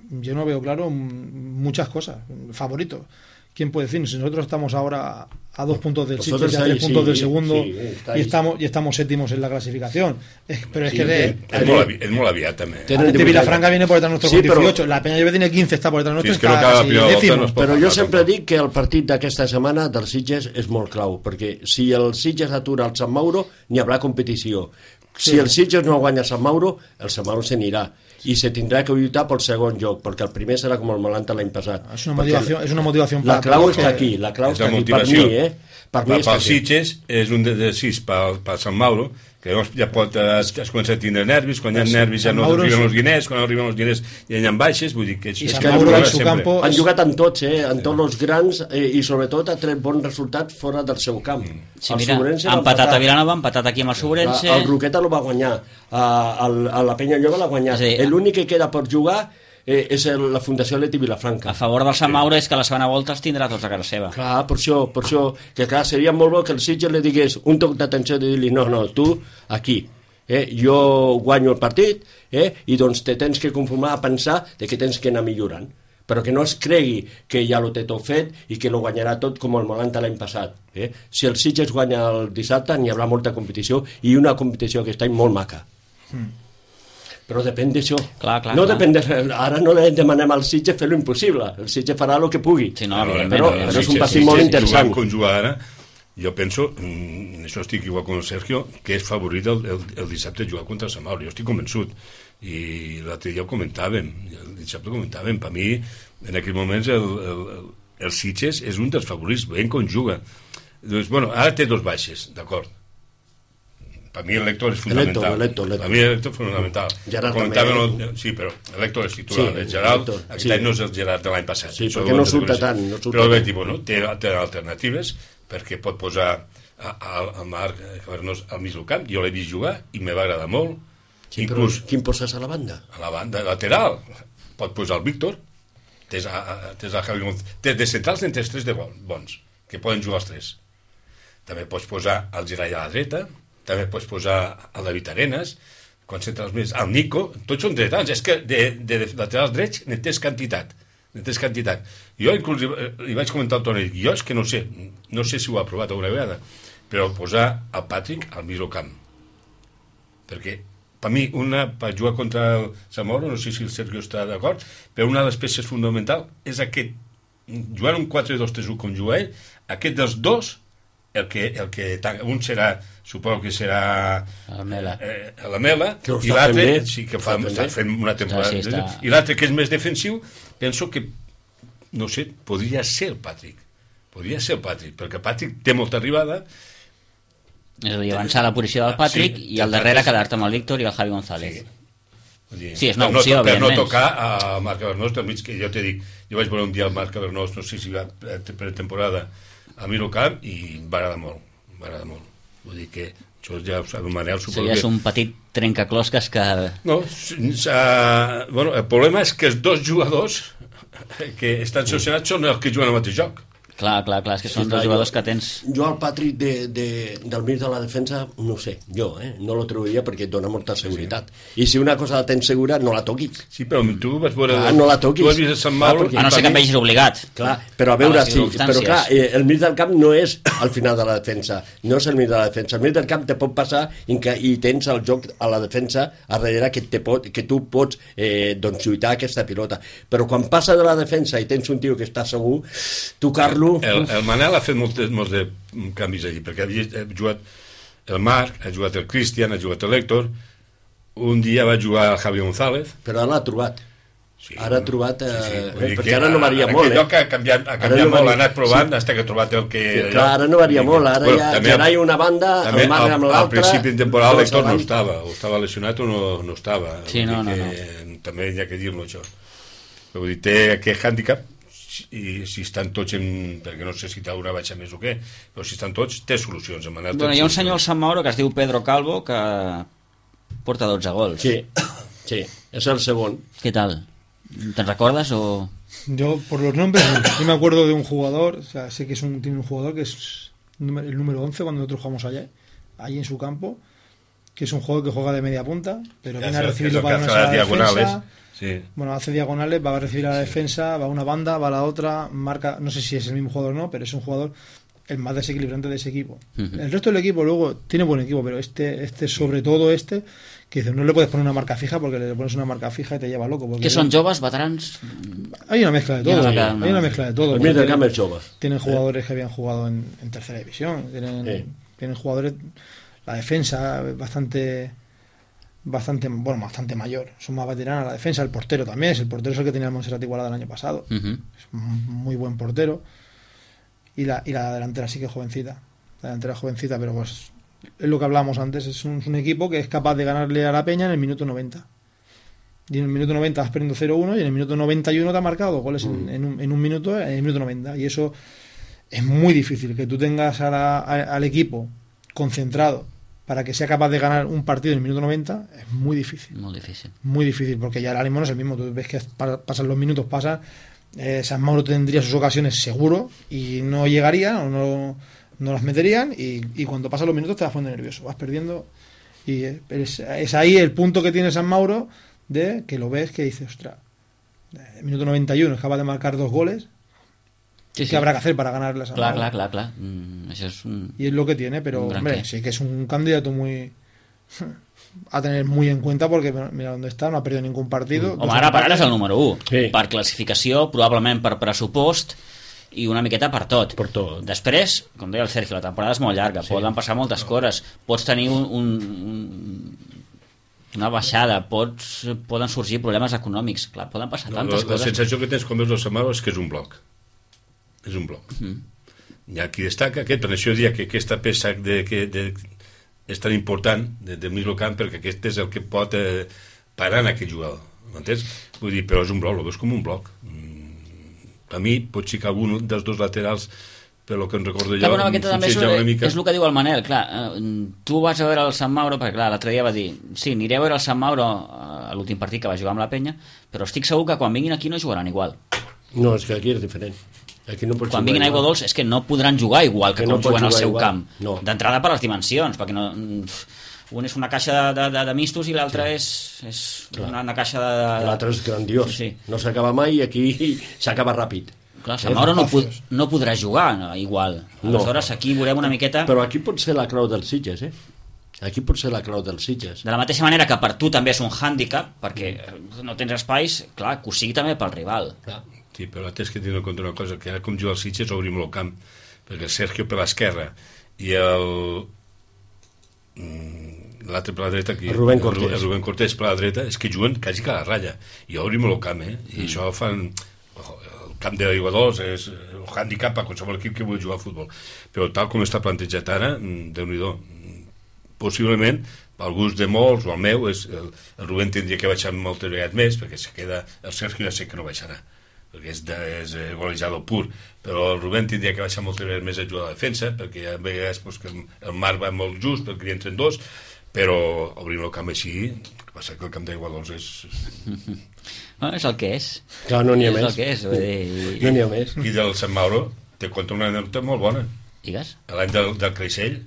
yo no veo claro mm, muchas cosas. Favorito. ¿Quién puede decir? Si nosotros estamos ahora a dos puntos del Vosotros Sitges y a tres estáis, puntos sí, del segundo sí, estáis. y estamos y estamos séptimos en la clasificación. Es- pero es Sí, que de, sí. És molt, avi, és molt aviat, també. Tenen Atlético divuit Vilafranca anys. viene por detrás nuestro Sí, con pero- dieciocho. La Peña Llobet tiene quince, está por detrás nuestro, Sí, és que no está cada casi primera volta décimo. no es pot Però jo parlar, sempre tampoc. dic que el partit d'aquesta setmana del Sitges és molt clau, perquè si el Sitges atura el Sant Mauro, n'hi haurà competició. Si Sí. el Sitges no guanya Sant Mauro, el Sant Mauro se n'irà. I se tindrà que lluitar pel segon lloc, perquè el primer serà com el Malanta l'any passat. Es una Perquè motivación, es una motivación La para clau todos està que- aquí, la clau És la està aquí, per motivació. mi, eh? Per mi Per, està pel aquí. Sitges és un de, de sis pel, pel Sant Mauro, que llavors ja pot, eh, es, es comença a tindre nervis, quan hi ha Sí, nervis ja Sant no Mauro arriben sí. els diners, quan arriben els diners ja hi ha baixes, vull dir que és, I és Sant que Mauro jugar en su sempre. campo- Han és- jugat amb tots, eh? amb tots els grans, eh, i sobretot ha tret bons resultats fora del seu camp. Sí, El mira, Sobrense ha va empatat empatar. a Vilanova, ha empatat aquí amb el Sobrense. El Roqueta lo va guanyar, a, el, a la Penya Lloba l'ha guanyat. És a dir, L'únic que queda per jugar eh, és el, la Fundació Leti Vilafranca. A favor del Sant Mauro és que la segona volta els tindrà tots a casa seva. Clar, per això, per això, que clar, seria molt bo que el Sitges li digués un toc d'atenció de dir-li, no, no, tu, aquí, eh, jo guanyo el partit, eh, i doncs te tens que conformar a pensar de que tens que anar millorant, però que no es cregui que ja ho té tot fet i que lo guanyarà tot com el Molanta l'any passat. Eh? Si el Sitges guanya el dissabte, n'hi haurà molta competició, i una competició aquest any molt maca. Però depèn d'això. Clar, clar, no clar. depèn de, ara no li demanem al Sitges fer lo impossible. El Sitges farà el que pugui. Sí, no, A veure, evidentment, però- evidentment. però és un Sitges- partit molt Sitges interessant. jugant com juga ara, jo penso, mm, en això estic igual com el Sergio, que és favorit el, el, el dissabte jugar contra el Sant Mauro. Jo estic convençut. I l'altre dia ho comentàvem, el dissabte ho comentàvem. Per mi, en aquells moments, el, el, el, el Sitges és un dels favorits, veient com juga. Doncs, bueno, ara té dos baixes, d'acord. Per mi l'Héctor és fonamental. L'Héctor, l'Héctor, l'Héctor. Per mi l'Héctor és fonamental. Gerard Comentàvem també. el- Sí, però l'Héctor és titular. Sí, el Gerard, l'Héctor, aquest sí. any no és el Gerard de l'any passat. Sí, Això perquè ho no hem de surta reconèixer. tant, no surta Però bé, tant. tipus, no? té, té alternatives, perquè pot posar a, a, a Marc Cabernós al mig del camp. Jo l'he vist jugar i me va agradar molt. Sí, però Inclús quin poses a la banda? a la banda lateral pot posar el Víctor, tens a, a, tens a Javi González, tens de centrals en tens tres de bon- bons, que poden jugar els tres. També pots posar el Gerai a la dreta, també pots posar el David Arenas, quan centrals més, el Nico, tots són dretans, és que de, de, de laterals drets ne tens quantitat, ne tens quantitat. Jo inclús li, li vaig comentar al Toni, jo és que no sé, no sé si ho ha provat alguna vegada, però posar el Patrick al mig del camp, perquè per mi, una, per jugar contra el Zamora, no sé si el Sergio està d'acord, però una de les peces fonamentals és aquest, jugant un quatre dos tres u com juga ell, aquest dels dos, el que, el que un serà, suposo que serà El Mela. eh, la Mela, Que ho i està l'altre, fent bé. sí que fa, Està fent està bé. fent una temporada, Sí, sí, està- i l'altre que és més defensiu, penso que, no sé, podria ser el Patrick, podria ser el Patrick, perquè Patrick té molta arribada. És a dir, avançar a la posició del Patrick Sí, i al el darrere Patrick- quedar-te amb el Víctor i el Javi González. Sí. Vull dir, Sí, és una per no opció, to- per no evidentment. tocar a Marc Cabernós del mig, que jo t'he dit, jo vaig veure un dia el Marc Cabernós, no sé si va per temporada a Mirocamp, i em va agradar molt, em va agradar molt. Vull dir que Això ja ho sap, el Manel Això suposo ja és que... un petit trencaclosques que... No, uh, bueno, el problema és que els dos jugadors que estan sancionats són els que juguen al mateix joc. Clar, clar, clar, és que són Sí, dos clar, jugadors jo- que tens... Jo al Patrick de, de, del mig de la defensa, no ho sé, jo, eh? no lo treuria perquè et dona molta seguretat. I si una cosa la tens segura, no la toquis. Sí, però tu vas veure... Clar, no la toquis. Tu has vist a Sant Mauro... Clar, perquè- A no ser que em vegis obligat. Clar, però a A veure, les sí, circumstàncies. però clar, eh, el mig del camp no és al final de la defensa, no és el mig de la defensa. El mig del camp te pot passar i, que, i tens el joc a la defensa a darrere que, te pot, que tu pots eh, doncs, lluitar aquesta pilota. Però quan passa de la defensa i tens un tio que està segur, tocar-lo... El, el Manel ha fet molts, molts de canvis allí, perquè havia ha jugat el Marc, ha jugat el Cristian, ha jugat l'Héctor, un dia va jugar el Javi González. Però ara l'ha trobat. Sí, Ara ha trobat... Eh, sí, sí. eh, Vull dir perquè que ara no varia en molt, aquell eh? lloc ha canviat, ha Ara canviat no molt, varia- ha anat provant sí. fins que ha trobat el que... Sí, clar, ara no varia molt, ara ja també Gerai una banda, també el Marc amb al, l'altra... al principi de temporada dos l'Héctor no abans. estava, o estava lesionat o no, no estava. Sí, Vull no, dir no, que També hi ha que dir-lo, això. Vull dir, té aquest hàndicap, i si estan tots en... perquè no sé si t'haurà baixa més o què, però si estan tots, té solucions. En Manel té Bueno, hi ha un solucions. senyor al Sant Mauro que es diu Pedro Calvo que porta dotze gols. Sí, sí, és el segon. ¿Qué tal? ¿Te recuerdas o...? Yo, por los nombres, no. Yo me acuerdo de un jugador, o sea, sé que es un, tiene un jugador que es número- el número once cuando nosotros jugamos allá, allí en su campo, que es un jugador que juega de media punta, pero Que viene a hace- recibir que es los lo que balones hace a las la diagonales. defensa. Sí. Bueno, hace diagonales, va a recibir a la defensa, va a una banda, va a la otra, marca, no sé si es el mismo jugador o no, pero es un jugador el más desequilibrante de ese equipo. Ujú. El resto del equipo luego tiene buen equipo, pero este, este sobre todo este, que dice, no le puedes poner una marca fija porque le pones una marca fija y te lleva loco. Porque ¿Qué son joves, veterans? hay una mezcla de Hi ha todo, una- hay una mezcla de todo. El mig del Tienen- camp és jove. Tienen jugadores que habían jugado en, en tercera división, tienen, Sí. tienen jugadores, la defensa bastante bastante bueno bastante mayor, son más veteranos la defensa, el portero también es el portero es el que tenía el Montserrat Igualada el año pasado, Uh -huh. es un muy buen portero, y la, y la delantera sí que es jovencita, la delantera es jovencita, pero pues es lo que hablábamos antes, es un, es un equipo que es capaz de ganarle a la Peña en el minuto noventa. Y en el minuto noventa vas perdiendo cero uno y en el minuto noventa y uno te ha marcado dos goles en, en, un, en un minuto, en el minuto noventa. Y eso es muy difícil, que tú tengas a la- a- al equipo concentrado para que sea capaz de ganar un partido en el minuto noventa, es muy difícil. Molt difícil. Muy difícil, porque ya el ánimo no es el mismo. Tú ves que pa- pasan los minutos, pasan. Eh, San Mauro tendría sus ocasiones seguro y no llegaría o no, no las meterían. Y, y cuando pasan los minutos te vas poniendo nervioso, vas perdiendo. Y eh, es, es ahí el punto que tiene San Mauro de que lo ves que dices, ostras, el minuto noventa y uno es capaz de marcar dos goles. Sí, ¿Qué habrá que hacer para ganarle a San Clar, Mauro? clar, clar, clar. Mm, això és un... Y es lo que tiene, pero Un gran hombre, qué. sí que es un candidato muy a tener muy en cuenta porque mira dónde está, no ha perdido ningún partido. Home, ara per ara és el número u. Sí. Per classificació, probablement per pressupost i una miqueta per tot. Per tot. Després, com deia el Sergio, la temporada és molt llarga, sí. Poden passar moltes coses, pots tenir un, un, un, una baixada, pots, poden sorgir problemes econòmics, clar, poden passar No, la, tantes la coses. sensació que tens com veus el Sant Mauro és que és un bloc. És un bloc. Mm. Hi ha qui destaca aquest, per això diria que aquesta peça de, que, de, és tan important de, de mig del camp, perquè aquest és el que pot eh, parar en aquest jugador. M'entens? Vull dir, però és un bloc, el veus com un bloc. Mm, a mi, pot ser que algun dels dos laterals, per lo que em recordo Clar, jo, bueno, aquesta també és, funcionja una mica... és el que diu el Manel, clar, eh, tu vas a veure el Sant Mauro, perquè clar, l'altre dia va dir, sí, aniré a veure el Sant Mauro a l'últim partit que va jugar amb la Penya, però estic segur que quan vinguin aquí no jugaran igual. No, és que aquí és diferent. Aquí no pots Quan jugar vinguin a igual. Aigua Dols és que no podran jugar igual que, Que com no pots juguen al jugar seu igual. camp. No. D'entrada per les dimensions, perquè no, un és una caixa de, de, de, de mistos i l'altre és, és una, una caixa de... de... L'altre és grandiós. Sí. No s'acaba mai i aquí s'acaba ràpid. Clar, Sant Mauro no, pod no podrà jugar no, igual. No. Aleshores aquí veurem una miqueta... Però aquí pot ser la clau dels Sitges, eh? Aquí pot ser la clau dels Sitges. De la mateixa manera que per tu també és un hàndicap, perquè no tens espais, clar, que ho sigui també pel rival. Clar. Sí, però tens que tenir en compte una cosa, que ara com juga el Sitges obrim el camp, perquè el Sergio per l'esquerra i el mm, l'altre per la dreta aquí, El Rubén Cortés. el Rubén Cortés per la dreta, és que juguen quasi que a la ratlla i obrim el camp, eh? I Mm. això fan el camp d'Aigua Dols és un hàndicap a qualsevol equip que vulgui jugar a futbol, però tal com està plantejat ara, mm, Déu-n'hi-do, mm, possiblement pel gust de molts, o el meu, és el, el Rubén tindria que baixar moltes vegades més, perquè se queda, el Sergio ja sé que no baixarà, perquè és, de, és golejador pur, però el Rubén tindria que baixar moltes vegades més a jugar a la defensa, perquè a vegades pues, que el mar va molt just, perquè hi entren dos, però obrint el camp així, el que passa que el camp d'Aiguadols és... No, és el que és. Clar, no n'hi ha és més. el que és. Vull dir... No n'hi ha més. I del Sant Mauro te conta una anècdota molt bona. Digues? L'any del, del Creixell,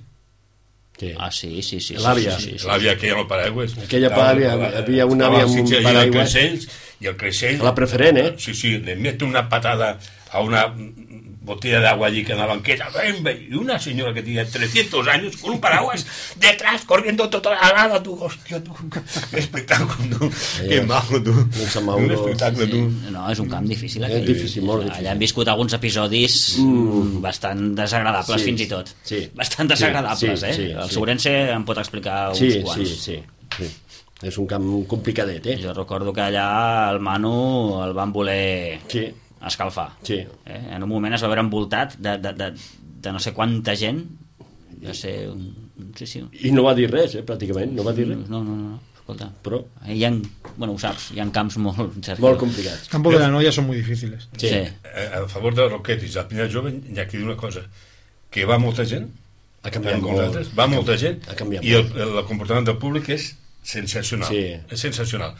Sí. Ah, sí, sí, sí. L'àvia. Sí, sí, sí. l'àvia aquella amb el paraigües. Aquella àvia, havia una àvia amb un I el paraigües. Creixell, i el Creixell... La preferent, eh? Sí, sí, le mete una patada a una botella de agua allí que en la banqueta, y una señora que tiene trescientos años con un paraguas detrás, corriendo toda la nada, tú, hostia, tú, qué espectáculo, tú, qué majo, tú, un espectáculo, tu. Sí, no, és un camp difícil. És difícil, molt difícil. Allà hem viscut alguns episodis mm. bastant desagradables, Sí, fins i tot. sí. Bastant desagradables, Sí, eh? sí, El sí. Sobrense em pot explicar uns Sí, quants. sí, sí, sí. És un camp complicadet, eh? Jo recordo que allà el Manu el van voler Sí. escalfar. Sí. Eh? En un moment es va veure envoltat de, de, de, de no sé quanta gent. Jo sé... Un, sí, sí. I no va dir res, eh, pràcticament, no va dir res. No, no, no, no. Escolta. Però... Hi ha, bueno, ho saps, hi ha camps molt... Sergio. Molt complicats. Campos de la Noia son muy difíciles. Sí. sí. A favor de Roquetis, la Pinya Jove, hi ha aquí una cosa, que va molta gent, Ha canviat com molt. nosaltres, va molta gent, Ha canviat i el, molt. el, el comportament del públic és sensacional. Sí. És sensacional.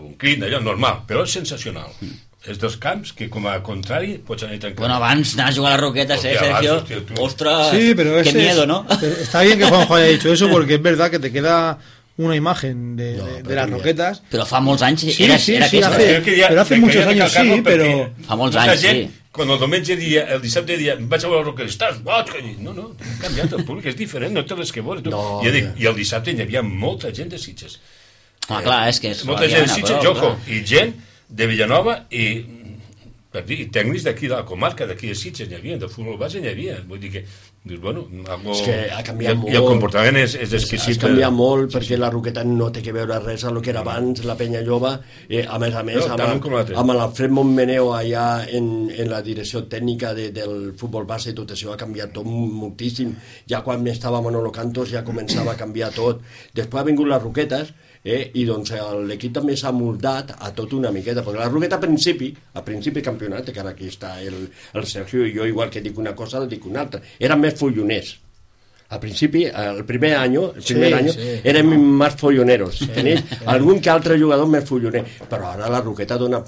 Un crit, allò normal, però és sensacional. Mm. És dels camps que, com a contrari, pots anar tranquil. Bueno, abans anar a jugar a las Roquetas, Hostia, eh, Sergio. abans, hostia, tú. Ostras, Sí, pero qué ese miedo, es- ¿no? Está bien que Juanjo haya dicho eso porque es verdad que te queda una imagen de, No, de- de pero las mira. roquetas. Però fa molts anys Sí, era, sí, era sí, aquesta. hace- Jo queria- pero hace me muchos quería años recalcar-lo sí, perquè pero- Fa molts molta anys, gent, sí. quan el diumenge dia, el dissabte dia, vaig a veure el Roquetes, estàs boig? Que dic, no, no, ha canviat el públic, és diferent, no té res que veure. Tu. No, I, dic, ja. I el dissabte hi havia molta gent de Sitges. Ah, clar, és que és... Molta la gent de Diana, Sitges, però, Joco, clar. i gent de Villanova i, per dir, i tècnics d'aquí de la comarca, d'aquí de Sitges n'hi havia, de futbol base n'hi havia. Vull dir que, dius, bueno, algo... És que ha canviat I, molt. I el comportament és, és exquisit. Has canviat molt perquè la Roqueta no té que veure res amb el que era abans, la Penya Jove, eh, a més a més, No, tant un com amb, l'altre. amb l'Alfred Montmeneu allà en, en la direcció tècnica de, del futbol base i tot això ha canviat tot moltíssim. Ja quan estava Manolo Cantos ja començava a canviar tot. Després ha vingut les Roquetes, eh, i doncs l'equip també s'ha moldat a tot una miqueta, perquè la Roqueta a principi, a principi de campionat, que ara aquí està el, el Sergio i jo, igual que dic una cosa, el dic una altra, eren més folloners. Al principi, el primer any, el primer Sí, any sí. érem más folloneros. Tenéis algun que altre jugador més folloner. Però ara la Roqueta dona,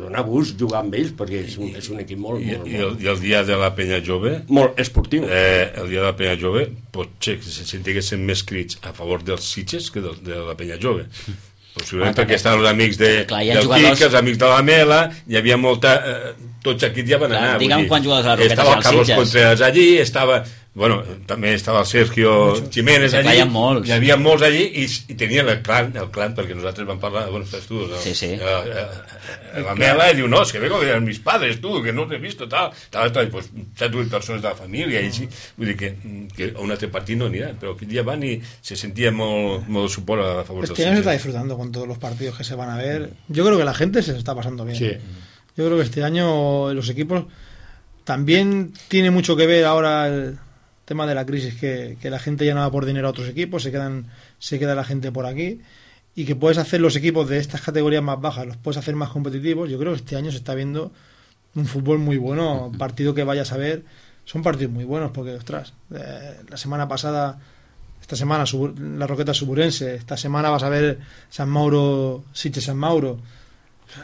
dona gust jugar amb ells, perquè és un, és un equip molt, I, molt, i, el, molt, I el dia de la Penya Jove, molt esportiu. eh, el dia de la Penya Jove, potser que se sentiguessin més crits a favor dels Sitges que de, de la Penya Jove. Possiblement Ah, perquè també. estan els amics de, Clar, hi ha del jugadors- Quique, els amics de la Mela, hi havia molta... Eh, tots aquí ja van Clar, anar. vull digue'm dir, quants jugadors de la Roquetes estava hi ha el als Carlos Sitges. Contreras allí, estava... Bueno, també estava el Sergio Jiménez Sí, clar, allí. hi ha molts. Hi havia molts allí i, i tenien el clan, el clan, perquè nosaltres vam parlar, bueno, estàs tu, no? Sí, sí. Eh, eh, la Mela i diu, no, es que vengo de mis padres, tu, que no te he visto, tal, tal, tal, pues, set o vuit persones de la família, i així, vull dir que, que a un altre partit no anirà, però aquell dia van i se sentia molt, molt suport a favor dels Este año se está Sitges. disfrutando con todos los partidos que se van a ver. Yo creo que la gente se lo está pasando bien. Sí. Yo creo que este año los equipos también tiene mucho que ver ahora el tema de la crisis, que, que la gente ya no va por dinero a otros equipos, se quedan se queda la gente por aquí, y que puedes hacer los equipos de estas categorías más bajas, los puedes hacer más competitivos. Yo creo que este año se está viendo un fútbol muy bueno, partido que vayas a ver, son partidos muy buenos, porque, ostras, eh, la semana pasada, esta semana Subur- la Roqueta Suburense, esta semana vas a ver San Mauro, Sitges San Mauro.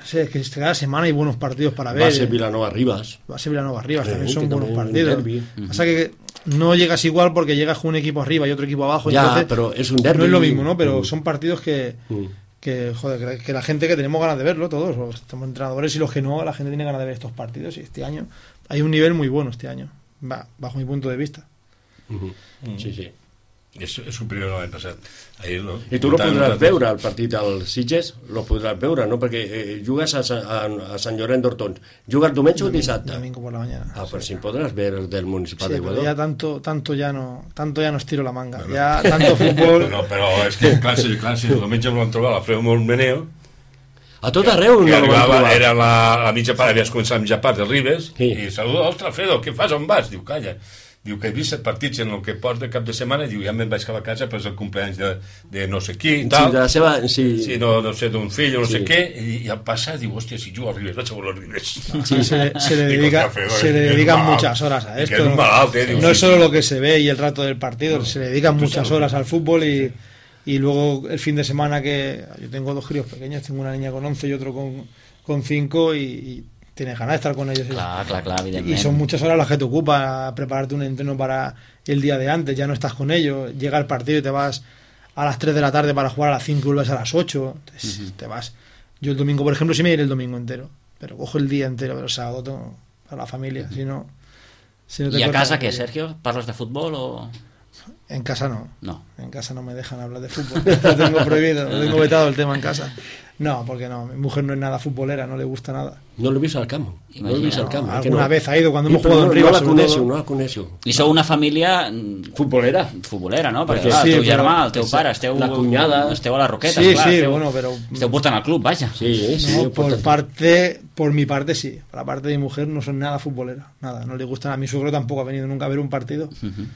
Sí, es que cada semana hay buenos partidos para ver. Va a ser Vilanova Rivas. Va a ser Villanova Rivas, Sí, también son que buenos también partidos. un derbi. Pasa que no llegas igual porque llegas con un equipo arriba y otro equipo abajo. Ya, entonces pero es un derbi. No es lo mismo, ¿no? Pero Mm. son partidos que, Mm. que, joder, que, que la gente que tenemos ganas de verlo, todos, los estamos entrenadores y los que no, la gente tiene ganas de ver estos partidos. Y este año hay un nivel muy bueno este año, va, bajo mi punto de vista. Mhm. Sí, sí. És, és superior a l'any passat. Ahir, no? I tu lo Comptant podràs nosaltres- veure, el partit del Sitges, lo podràs veure, no? Perquè eh, jugues a, Sa- a, a Sant Llorenç d'Hortons. Jugues diumenge o dissabte? Domingo por la mañana. Ah, pues Sí. sí podràs ver el del Municipal Sí, de pero Guadó. ya tanto, tanto ya no, tanto ya no estiro la manga. Ya tanto fútbol. No, però és que, clar, si, clar, si el diumenge volem trobar l'Alfredo Montmeneu, A tot arreu que no lo van arribava, trobar. era la, la mitja part, havies començat a mitja part de Ribes, Sí. i saluda, ostres, Alfredo, què fas, on vas? Diu, calla. diu que he vist set partits en el que porta cap de setmana, diu, ja me'n vaig cap a casa per el cumpleaños de, de no sé qui, tal. Sí, de la seva... Sí, sí no, no sé, d'un fill o no sí. sé què, i, i al passar diu, hòstia, si jugo al Ribes, vaig a voler al Ribes. Sí, se le, se le, dedica, se le dedican muchas horas a esto. Un malalt, eh, diu, no sí, es solo sí. lo que se ve y el rato del partido, se le dedican muchas horas al fútbol y, y luego el fin de semana que... Yo tengo dos críos pequeños, tengo una niña con once y otro con, con cinco y... y tienes ganas de estar con ellos. Clar, clar, clar, evidentment. Y son muchas horas las que te ocupa prepararte un entreno para el día de antes, ya no estás con ellos, llega el partido y te vas a las tres de la tarde para jugar a las cinco y vuelves a las ocho, entonces, uh-huh. te vas. Yo el domingo, por ejemplo, sí me iré el domingo entero, pero cojo el día entero, pero el sábado tengo para la familia, uh-huh. si no... Si no te ¿Y a casa qué, Sergio? ¿Parlas de fútbol o...? En casa no. No. En casa no me dejan hablar de fútbol. Lo tengo prohibido, lo tengo vetado el tema en casa. No, porque no, mi mujer no es nada futbolera, no le gusta nada. No l'he vist al camp. No l'he vist al camp. No, alguna no. vez ha ido cuando hemos I, jugado no, en Rivas. No la coneixo, no la coneixo. I sou una família... Futbolera. Futbolera, no? Perquè, Perquè clar, sí, el teu però- germà, el teu pare, esteu... La cunyada. Esteu a les Roquetes, Sí, clar. sí, esteu, bueno, pero... Esteu portant al club, vaja. Sí, sí. No, por portant. parte, por mi parte sí. Por la parte de mi mujer no son nada futbolera. Nada, no le gustan. A mi suegro tampoco ha venido nunca a ver un partido. Uh-huh.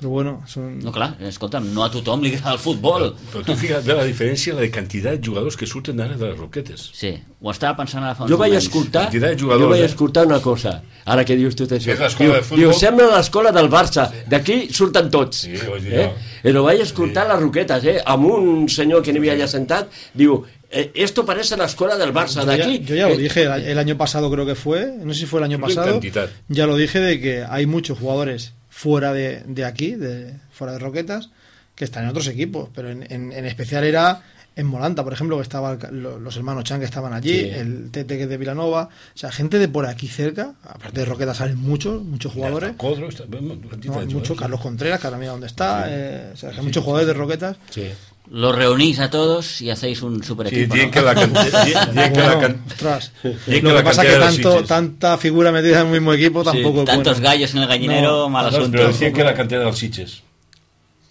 Pero bueno, son... No, clar, escolta'm, no a tothom li agrada el futbol. Però tu fixa't bé la diferència, la de quantitat de jugadors que surten ara de les Roquetes. Sí, ho estava pensant ara fa uns Jo vaig moments. escoltar, Quantitat de jo jugadors, vaig eh? escoltar una cosa, ara que dius tot això. És l'escola Diu, de futbol. diu, sembla l'escola del Barça, d'aquí surten tots. Sí, ho vaig dir eh? jo. Però vaig escoltar Sí. les Roquetes, eh? amb un senyor que n'hi havia allà sentat, diu, eh, esto parece la escuela del Barça, Yo ya, d'aquí. yo ya lo eh, dije el, el año pasado, creo que fue, no sé si fue el año En pasado, cantidad. ya lo dije de que hay muchos jugadores fuera de, de aquí, de, fuera de Roquetas, que están en otros equipos, pero en, en, en especial era en Molanta, por ejemplo, que estaban los hermanos Chan que estaban allí, Sí. el Tete que es de Vilanova, o sea, gente de por aquí cerca, aparte de Roquetas salen muchos, muchos jugadores. Codro, está, bueno, No, cantidad de mucho, jugadores. Carlos Contreras, que ahora mira dónde está, Sí. eh, o sea, que hay muchos jugadores de Roquetas. Sí. Los reunís a todos y hacéis un super Sí, equipo, dient ¿no? que la cantidad... Dient que la Bueno, can- ostras, dient que lo que la pasa es cantidad que de tanto, Sitges. tanta figura metida en un mismo equipo tampoco es Tantos bueno. gallos en el gallinero, No, mal No, asunto. però decien que la cantera dels Sitges.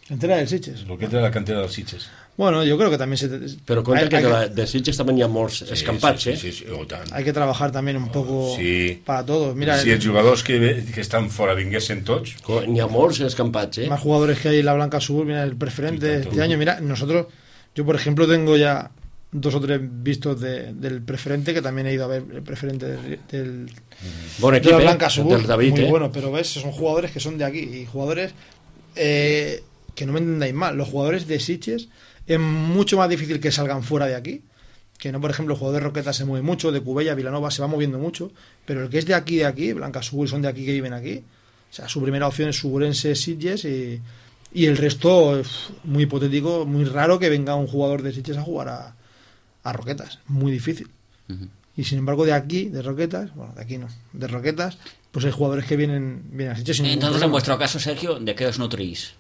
¿Entera del Sitges? Lo que era la cantera dels Sitges. Bueno, yo creo que también se... Però compte hay, que hay de, la, de Sitges també hi ha molts escampats, sí, eh? sí, sí, sí, oh, tant. hay que trabajar también un poco Sí. para todos. Mira, Si els jugadors que, que estan fora vinguessin tots, Co- N'hi ha molts escampats, eh? más jugadores que hay en la Blanca Sur, mira, el preferente este año, mira, nosotros, yo por ejemplo tengo ya dos o tres vistos de, del preferente, que también he ido a ver el preferente del, del Bon de equip, la eh? Blanca Sur, Del David, muy eh? bueno, pero ves, son jugadores que son de aquí y jugadores eh, que no me entendáis mal, los jugadores de Sitges es mucho más difícil que salgan fuera de aquí, que no, por ejemplo, el jugador de Roquetas se mueve mucho, de Cubella, Vilanova se va moviendo mucho, pero el que es de aquí, de aquí, Blanca Sur, son de aquí que viven aquí, o sea, su primera opción es Suburense, Sitges y, y el resto, uf, muy hipotético, muy raro que venga un jugador de Sitges a jugar a, a Roquetas, muy difícil. Ujú. Y sin embargo de aquí, de Roquetas, bueno, de aquí no, de Roquetas, pues hay jugadores que vienen, vienen a Sitges sin ningún Entonces, en problema. vuestro caso, Sergio, ¿de qué os nutrís?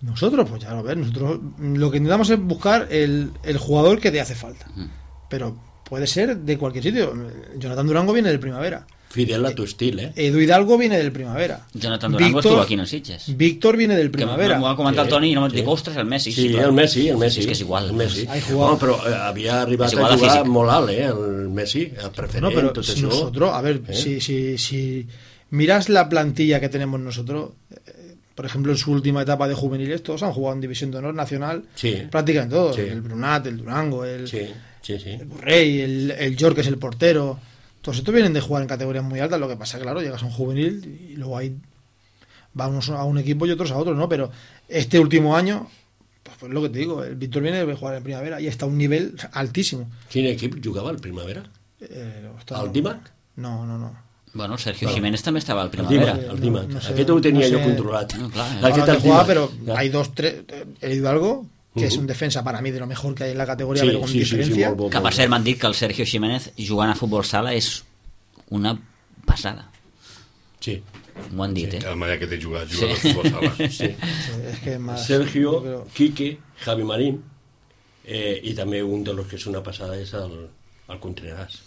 Nosotros, pues ya lo ves, nosotros lo que intentamos es buscar el, el jugador que te hace falta. Ujú. Pero puede ser de cualquier sitio. Jonathan Durango viene del Primavera. Fidel a tu estil, eh? Edu Hidalgo viene del Primavera. Jonathan Durango Víctor- estuvo aquí en el Sitges. Víctor viene del Que Primavera. m'ho ha comentat Sí, el Toni i no m'ho sí. dic, ostres, el Messi. Sí, clar. el Messi, el Messi. És que és igual. El Messi. Hay jugador- No, però eh, havia arribat És a igual de jugar físic. molt alt, eh? El Messi, el preferent, No, pero tot si això. nosotros, a ver, ¿Eh? si, si, si miras la plantilla que tenemos nosotros, eh, por ejemplo, en su última etapa de juveniles, todos han jugado en División de Honor Nacional, Sí. prácticamente todos. Sí. El Brunat, el Durango, el, Sí, sí, sí. el Burrey, el, el York, que es el portero. Todos estos vienen de jugar en categorías muy altas. Lo que pasa, claro, llegas a un juvenil y luego ahí va unos a un equipo y otros a otros, ¿no? Pero este último año, pues, pues lo que te digo, el Víctor viene de jugar en Primavera y está a un nivel altísimo. Quin equip jugava al Primavera? Eh, está- El Dímac? No, no, no. Bueno, Sergio Bueno. Jiménez també estava al El Primavera. Dímac, el No, Dímac. no sé, Aquest ho tenia no jo sé. controlat. No, clar, eh. Aquest Ahora el no jugaba, Dímac. pero Ja. hay dos, tres. El Hidalgo, que es Ujú. un defensa para mí de lo mejor que hay en la categoría, Sí, pero con sí, sí, sí, diferencia. molt bo, Que, per molt cert, bo. m'han dit que el Sergio Jiménez jugant a futbol sala és una passada. Sí. M'ho han dit, eh? la manera que té jugat, Sí. jugar a futbol sala. Sí. Es que es más. Sergio, pero- Quique, Javi Marín, eh, i també un dels que és una passada és el, el Contreras.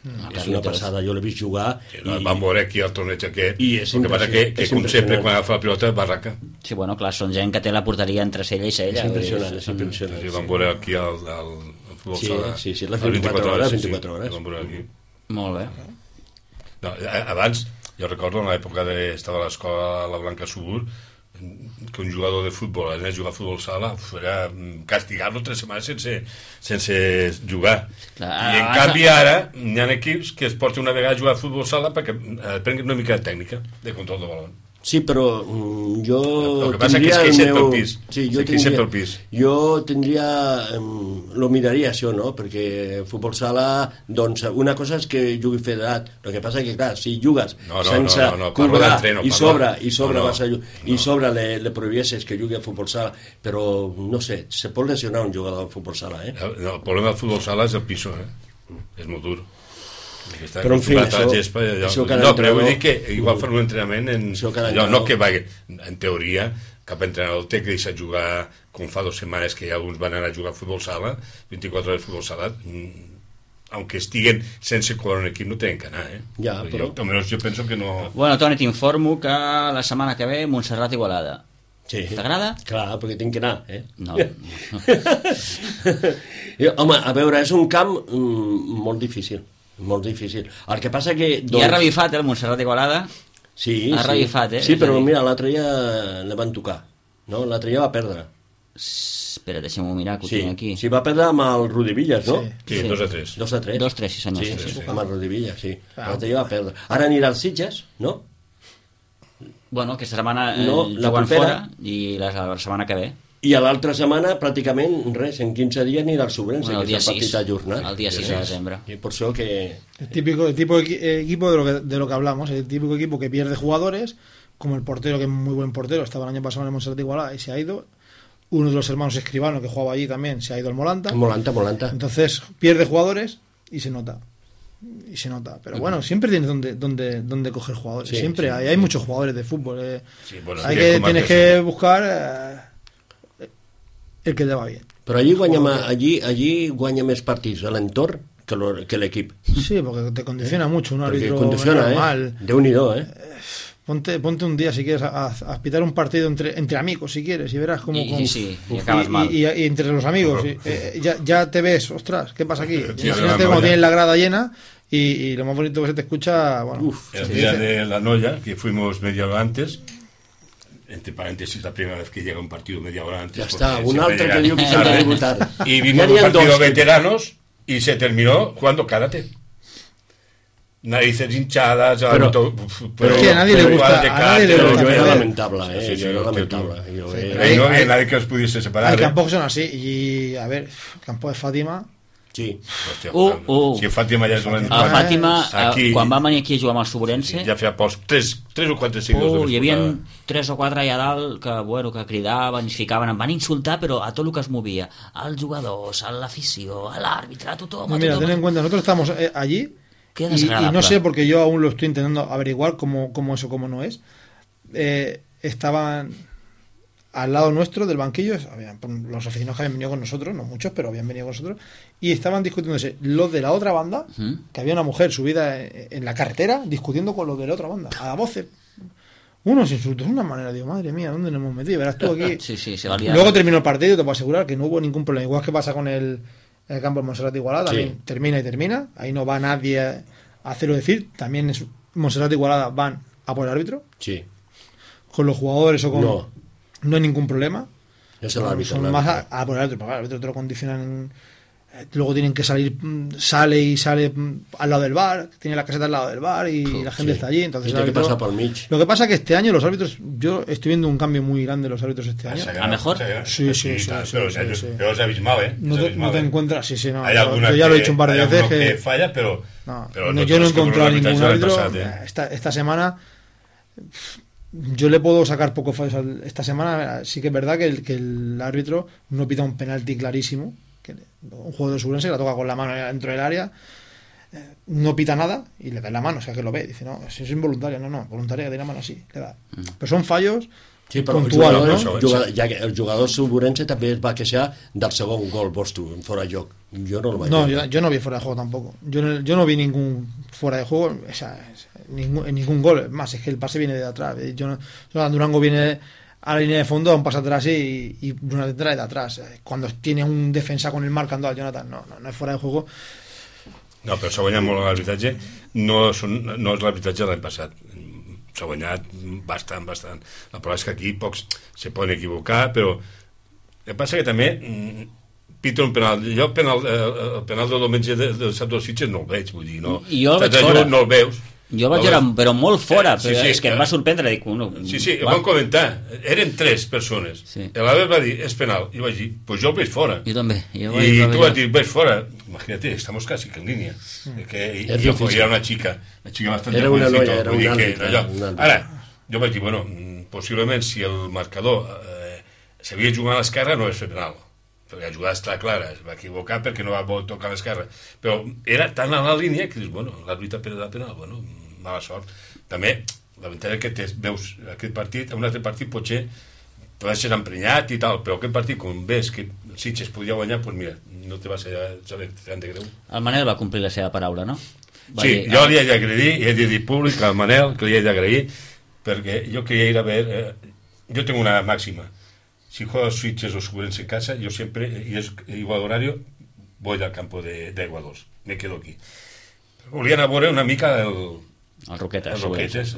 Ah, És una passada, jo l'he vist jugar Sí, no, vam veure aquí el torneig aquest, I és el que passa que, impressionant, que és com sempre, impressionant. quan agafa la pilota, barraca. Sí, bueno, clar, són gent que té la porteria entre cella i cella. És impressionant, és Són- impressionant. Sí, vam veure aquí el, el, el futbol Sí, sala. sí, sí, les El vint-i-quatre hores, sí, sí, vint-i-quatre hores. Vam veure aquí. Molt bé. No, a- abans, Jo recordo en l'època de... estava a l'escola a la Blanca Subur, que un jugador de futbol anés a jugar a futbol sala era castigar-lo tres setmanes sense, sense jugar. Clar, I en canvi ara hi ha equips que es porten una vegada a jugar a futbol sala perquè aprenguin una mica de tècnica de control de balón. Sí, però mm, jo el que passa que és que sempre meu... el pis. Sí, jo sí, tindria, sempre el pis. Jo tindria... Um, lo miraria això, no? Perquè futbol sala, doncs, una cosa és que jugui federat. El que passa que, clar, si jugues no, no, sense no, no, no, cobrar no, i sobre, i sobre, no, no, vas a, no. i sobre le, le prohibiessis que jugui a futbol sala, però, no sé, se pot lesionar un jugador de futbol sala, eh? El, el problema del futbol sala és el piso, eh? És molt dur. Està però en fi, això, gespa, allò, això no, però vull dir que igual fan un entrenament en, allò, no que va, en teoria cap entrenador té que deixar jugar com fa dues setmanes que alguns van anar a jugar a futbol sala, vint-i-quatre hores de futbol sala, aunque estiguen sense cobrar un equip no tenen que anar, eh? Ja, però... jo, almenys jo penso que no... Bueno, Toni, t'informo que la setmana que ve Montserrat Igualada. Sí. T'agrada? Clar, perquè tinc que anar, eh? No. Home, a veure, és un camp mm, molt difícil, molt difícil. El que passa que... Doncs... I ha revifat, eh, el Montserrat Igualada? Sí, ha sí. revifat, eh? Sí, però mira, l'altre ja le van tocar, no? L'altre ja va perdre. Espera, deixem-ho mirar, que ho sí, tinc aquí. Sí, va perdre amb el Rudi Villas, no? Sí, sí, dos a tres. Dos a tres. Dos a tres, sí senyor. Sí, sí, sí, sí. amb el Rudi Villas, sí. Ah. L'altre ja va perdre. Ara anirà als Sitges, no? Bueno, aquesta setmana eh, no, juguen fora i la, la setmana que ve. I a l'altra setmana, pràcticament, res, en quince dies anirà al Sobrense, bueno, que és el partit ajornat. El dia sis de desembre. Y por eso que... El típico, el tipo de equipo de lo, que, de lo que hablamos, el típico equipo que pierde jugadores, como el portero, que es muy buen portero, estaba el año pasado en el Montserrat de Igualada y se ha ido. Uno de los hermanos Escribano, que jugaba allí también, se ha ido al Molanta. Molanta, Molanta. Entonces, pierde jugadores y se nota. Y se nota, pero bueno, siempre tienes donde donde donde coger jugadores, sí, siempre sí, hay, hay muchos jugadores de fútbol, eh. Sí, bueno, hay que tienes que buscar eh, el que te va bien. Però allí guanya, allí, allí guanya més partits a l'entorn que, lo, que l'equip. Sí, porque te condiciona eh? mucho un árbitro condiciona, normal. Eh? Déu-n'hi-do, eh? Ponte, ponte un día si quieres a, a, a pitar un partido entre, entre amigos si quieres y verás cómo... Y, cómo y, sí, y acabas y, mal. Y, y, y entre los amigos y, eh, ya, ya te ves, ostras, ¿qué pasa aquí? Imagínate cuando tienes la grada llena y, y lo más bonito que se te escucha, bueno... Uf, el día dice. De la Noya, que fuimos media hora antes, entre paréntesis, la primera vez que llega un partido media hora antes... Ya está, un altre que diu que s'ha de debutar. Y vimos un partido de veteranos y se terminó jugando karate. Narices hinchadas, pero, pero, pero es que a nadie le gusta, a nadie le gusta. Yo era lamentable, eh, sí, sí, yo era lamentable. Yo sí, era... No había nadie que os pudiese separar. Hay eh. campos que son así, y a ver, el campo de Fàtima... Sí. Hòstia, uh, uh. Si Fàtima ja és un... A Fàtima, aquí, quan va venir aquí a jugar amb el Sobrense... Sí, ja feia pocs, tres, tres o quatre segles. Uh, hi havia tres o quatre allà dalt que, bueno, que cridaven, es ficaven, em van insultar, però a tot el que es movia. Als jugadors, a l'afició, a l'àrbitre, a tothom... No, mira, tothom. ten en cuenta, nosotros estamos eh, allí... Y, y no sé, porque yo aún lo estoy intentando averiguar cómo, cómo eso, cómo no es. Eh, estaban al lado nuestro del banquillo, habían, los aficionados que habían venido con nosotros, no muchos, pero habían venido con nosotros, y estaban discutiéndose los de la otra banda, ¿Mm? que había una mujer subida en la carretera discutiendo con los de la otra banda, a voces. Unos insultos, una manera, digo, madre mía, ¿dónde nos hemos metido? Verás tú aquí. Sí, sí, se valía. Luego terminó el partido y te puedo asegurar que no hubo ningún problema. Igual que pasa con el... En el campo de Montserrat Igualada también sí. termina y termina, ahí no va nadie a hacerlo decir, también es Montserrat Igualada van a por el árbitro, sí. con los jugadores o con... No, no hay ningún problema, es el árbitro, son el más árbitro. a, a por el árbitro, porque el árbitro te lo condicionan, luego tienen que salir, sale y sale al lado del bar, tiene la caseta al lado del bar y sí, la gente sí. está allí, entonces el árbitro, pasa por lo que pasa es que este año los árbitros, yo estoy viendo un cambio muy grande en los árbitros este año. ¿A mejor? Sí, sí, sí, sí, pero, sí, sí. pero es abismal, ¿eh? No te, abismal, no te ¿eh? encuentras, sí, sí, no, hay yo, yo ya lo he dicho un par de veces que, que falla, pero, no, pero no, yo no he encontrado ningún árbitro pasat, eh? esta, esta semana. Yo le puedo sacar poco fallos esta semana. Sí que es verdad que el, que el árbitro no pita un penalti clarísimo, que un juego de Sobrense que la toca con la mano dentro del área, eh, no pita nada y le da la mano, o sea que lo ve, dice no, si es involuntario, no, no, voluntaria que tiene la mano así, le da. Pero son fallos sí, però puntuals, el jugador, no? jugador, ja que el jugador Sobrense també es va queixar del segon gol vostre en fora de joc. Yo no lo vaig No, yo, yo no vi fuera de juego tampoco. Yo no, yo no vi ningún fuera de juego, o sea, ningún, ningún gol. Más, es que el pase viene de atrás. Yo no, Durango viene a la línea de fondo, da un pase atrás y, y Jonathan trae de atrás. Cuando tiene un defensa con el marcando al Jonathan, no, no, no es fuera de juego. No, però s'ha guanyat molt l'arbitratge. No, són, no és l'arbitratge de l'any passat. s'ha guanyat bastant, bastant. La prova és que aquí pocs se poden equivocar, però el que passa que també pita un penal. Jo el penal, el penal del diumenge del Sap dels Sitges no el veig, vull dir, no. I jo el veig fora. No el veus. Jo el vaig veure, però molt fora, sí, però sí, és que em va sorprendre, dic, no, sí, sí, ho vam comentar, eren tres persones, sí. L'Albert va dir, és penal, i vaig dir, pues jo el veig fora, jo també, jo i dir, tu vas dir, veig fora, imagínate, estamos casi que en línia, mm. que jo, era una xica, una xica bastante era una noia, era una àrbitre, ara, jo vaig dir, bueno, possiblement si el marcador eh, s'havia jugat a l'esquerra no és fer penal, perquè la jugada està clara, es va equivocar perquè no va tocar a l'esquerra, però era tan a la línia que dius, bueno, l'àrbitre ha penal, bueno, mala sort. També, la veritat és que te veus aquest partit, un altre partit potser pot ser emprenyat i tal, però aquest partit, com ves que Sitges podia guanyar, doncs mira, no te va ser tan de greu. El Manel va complir la seva paraula, no? Va sí, dir, jo li he d'agrair, he de dir públic al Manel que li he d'agrair, perquè jo quería ir a ver, eh, yo tengo una máxima, si juego Sitges o Subrense en casa, yo siempre, y es igual horario, voy al campo de, de Aguadols, me quedo aquí. Volia anar a veure una mica el el Roquetes, el Roquetes,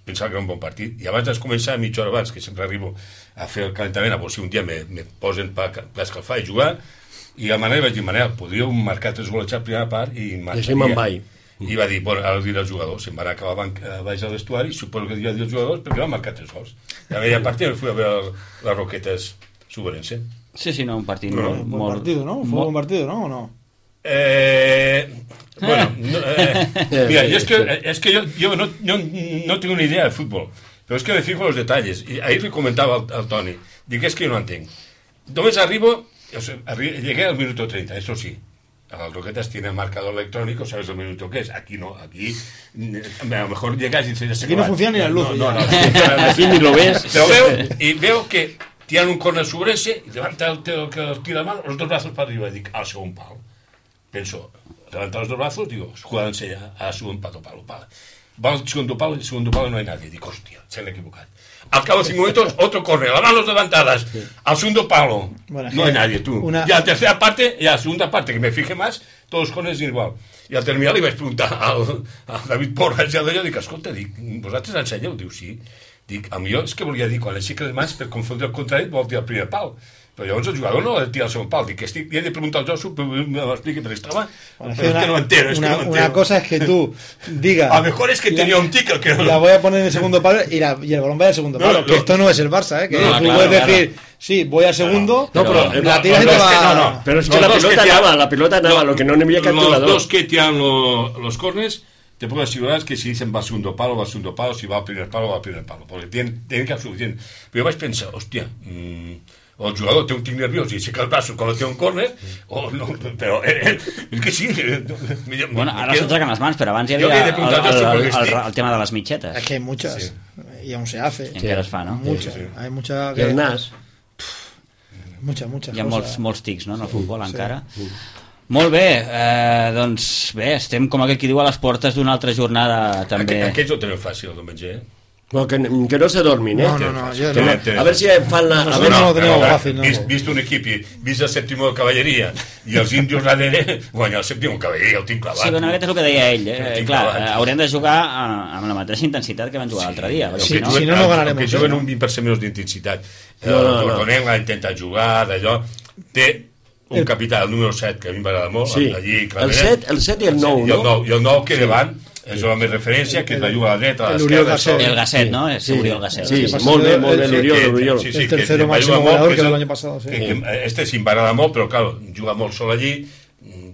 pensava que era un bon partit, i abans de començar, mitja hora abans, que sempre arribo a fer el calentament, a veure si un dia me, me posen per, per escalfar i jugar, i a Manel vaig dir, Manel, podríeu marcar tres gols a la primera part i marxaria. I va dir, bueno, ara diré als jugadors, se'n van acabar a baix al vestuari, suposo que diria als jugadors, perquè van marcar tres gols. I a aquella partida me fui a veure les Roquetes Subrense. Sí, sí, no, un partit no, molt... Buen partido, ¿no? Fue un buen partido, ¿no? ¿O no? Eh, bueno, no, eh, mira, yo es que, es que yo, yo no, no, no tengo ni idea de fútbol, pero es que me fijo en los detalles. Y ahí le comentaba al, al Toni, digo, es que yo no entiendo. Només arribo, o sea, arri llegué al minuto treinta, eso sí. Las Roquetas tienen marcador electrónico, sabes el minuto que es. Aquí no, aquí a lo mejor llegas y dices... Aquí no funciona ni la luz. No, no, no, aquí ni lo ves. Pero veo, y veo que tiran un córner sobre ese, y levanta el que tira la mano, los dos brazos para arriba, y digo, al segundo palo. Penso, levantar los dos brazos, digo, jugándose a, a segundo palo, palo, palo. Va al segundo palo, y el segundo palo no hay nadie. Digo, hostia, se han equivocado. Al cabo de cinco minutos, otro corre, las manos levantadas, sí. Al segundo palo, bueno, no hay nadie, tú. Una... Y a la tercera parte, y a la segunda parte, que me fije más, todos corren igual. I al terminar li vaig preguntar al, al David Porras i al d'allò, dic, escolta, dic, vosaltres ensenyeu? Diu, sí. Dic, a millor és que volia dir, quan aixeca les mans, per confondre el contrari, vol tirar el primer pal. Però llavors el jugador no ha de tirar el segon pal. Dic, estic, li he de preguntar al Josu, però me l'expliqui, però estava... Bueno, pero es una, que no entero, es una, que no entero. Una cosa es que tú digas... A lo mejor es que tenía la, un ticket que no... La voy a poner en el segundo palo y, la, y el balón va al segundo palo. No, que no, esto no es el Barça, ¿eh? Que no, tú claro, puedes claro. decir, sí, voy al segundo, no, pero, pero la tiras no, y te no, va... Es que no, no. Pero es que no, la pelota que anava, la pelota anava, lo que no n'havia cap jugador. Los dos que tiran lo, los corners, te puedo asegurar que si dicen va al segundo palo, va al segundo palo, si va al primer palo, va al primer palo, porque tienen, tienen que ser suficiente. Pero yo vaig pensar, hostia... Mmm, o el jugador té un tic nerviós i aixeca els braços quan té un córner, o no, però eh, eh, és que sí. Bueno, ara s'aixequen les mans, però abans hi havia el, el, el, el, el tema de les mitxetes. Es que hay muchas, sí. Y aún se hace. I encara es fa, no? Muchas, sí, sí. Hay mucha... Que... El nas. Muchas, muchas Hi ha cosas. molts, molts tics, no?, en el futbol, sí, encara. Sí. Molt bé, eh, doncs bé, estem com aquell qui diu a les portes d'una altra jornada també. Aqu Aquests ho tenen fàcil el diumenge, eh? No, que, que no se dormin, ¿eh? No, no, no, yo que no. no. A ver si fan la... No, a ver, no, no, lo tenemos fácil, no. Vist, vist un equip i vist el sèptimo de cavalleria i els índios darrere, guanya el sèptimo de cavalleria, el tinc clavat. Sí, bueno, aquest és el que deia ell. Eh? Clar, eh, haurem de jugar amb la mateixa intensitat que van jugar l'altre dia. Sí, no, si no, no ganarem. Que juguen un vint per cent menys d'intensitat. No, no, no. El Tortonenc l'ha intentat jugar, d'allò. Té un capità, el número set, que a mi m'agrada molt. Sí, allí, el set, el set i el nou, no? I el nou que davant és la més referència, que la juga a la dreta, a l'esquerra. El Gasset, ¿no? Es Uriol Gasset. Sí, molt bé, molt bé, l'Uriol. Sí, sí, el tercero máximo goleador que el año pasado. Sí. Este sí m'agrada molt, però claro, juga molt sol allí,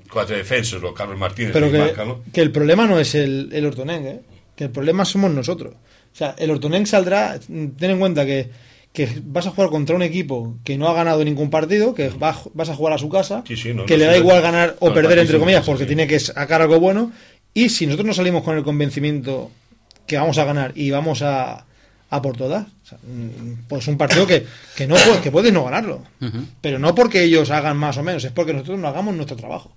cuatro defensas, lo Carlos Martínez. Pero que, marca, ¿no? que el problema no es el, el Hortonenc, ¿eh? Que el problema somos nosotros. O sea, el Hortonenc saldrá, ten en cuenta que, que vas a jugar contra un equipo que no ha ganado ningún partido, que va, vas a jugar a su casa, sí, sí, no, que no, le da sí, igual ganar o no, perder, entre comillas, sí, porque sí. tiene que sacar algo bueno. Y si nosotros no salimos con el convencimiento que vamos a ganar y vamos a, a por todas, o sea, pues un partido que, que, no, que puedes no ganarlo. Uh-huh. Pero no porque ellos hagan más o menos, es porque nosotros no hagamos nuestro trabajo.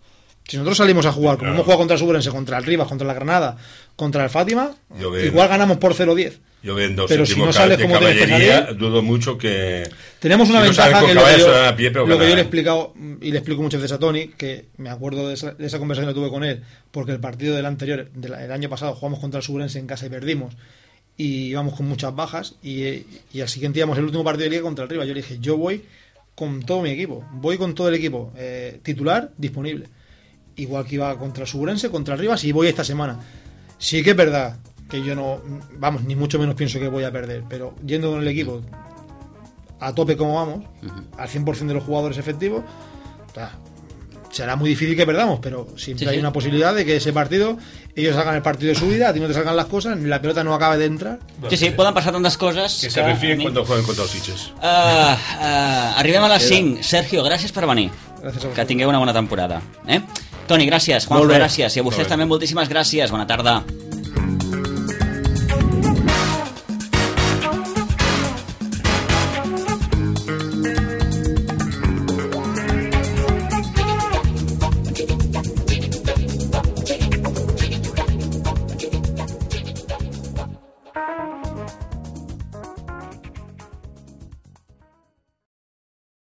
Si nosotros salimos a jugar, como no. hemos jugado contra el Subrense, contra el Rivas, contra la Granada, contra el Fátima, ven, igual ganamos por cero diez. Yo vendo pero si no sales como tienes que salir, dudo mucho que... Tenemos una si ventaja no que lo que yo, a pie, lo que yo le he explicado, y le explico muchas veces a Toni, que me acuerdo de esa, de esa conversación que tuve con él, porque el partido del anterior, del el año pasado, jugamos contra el Subrense en casa y perdimos, y íbamos con muchas bajas y, y al siguiente íbamos el último partido de liga contra el Rivas. Yo le dije, yo voy con todo mi equipo, voy con todo el equipo eh, titular disponible, igual que iba contra el Suburense, contra el Rivas, y voy esta semana. Sí que es verdad que yo no, vamos, ni mucho menos pienso que voy a perder, pero yendo con el equipo a tope como vamos, uh-huh. al cien por ciento de los jugadores efectivos, o sea, será muy difícil que perdamos, pero siempre sí, hay sí. una posibilidad de que ese partido, ellos hagan el partido de su vida, a ti no te salgan las cosas, ni la pelota no acabe de entrar. Sí, sí, poden passar tantes coses... Que se refien quan jueguen contra els Sitges. Uh, uh, arribem a les cinc. Sergio, gràcies per venir. Gràcies a que tingueu una bona temporada. Eh? Toni, gràcies. Juanjo, gràcies. I a vostès també moltíssimes gràcies. Bona tarda.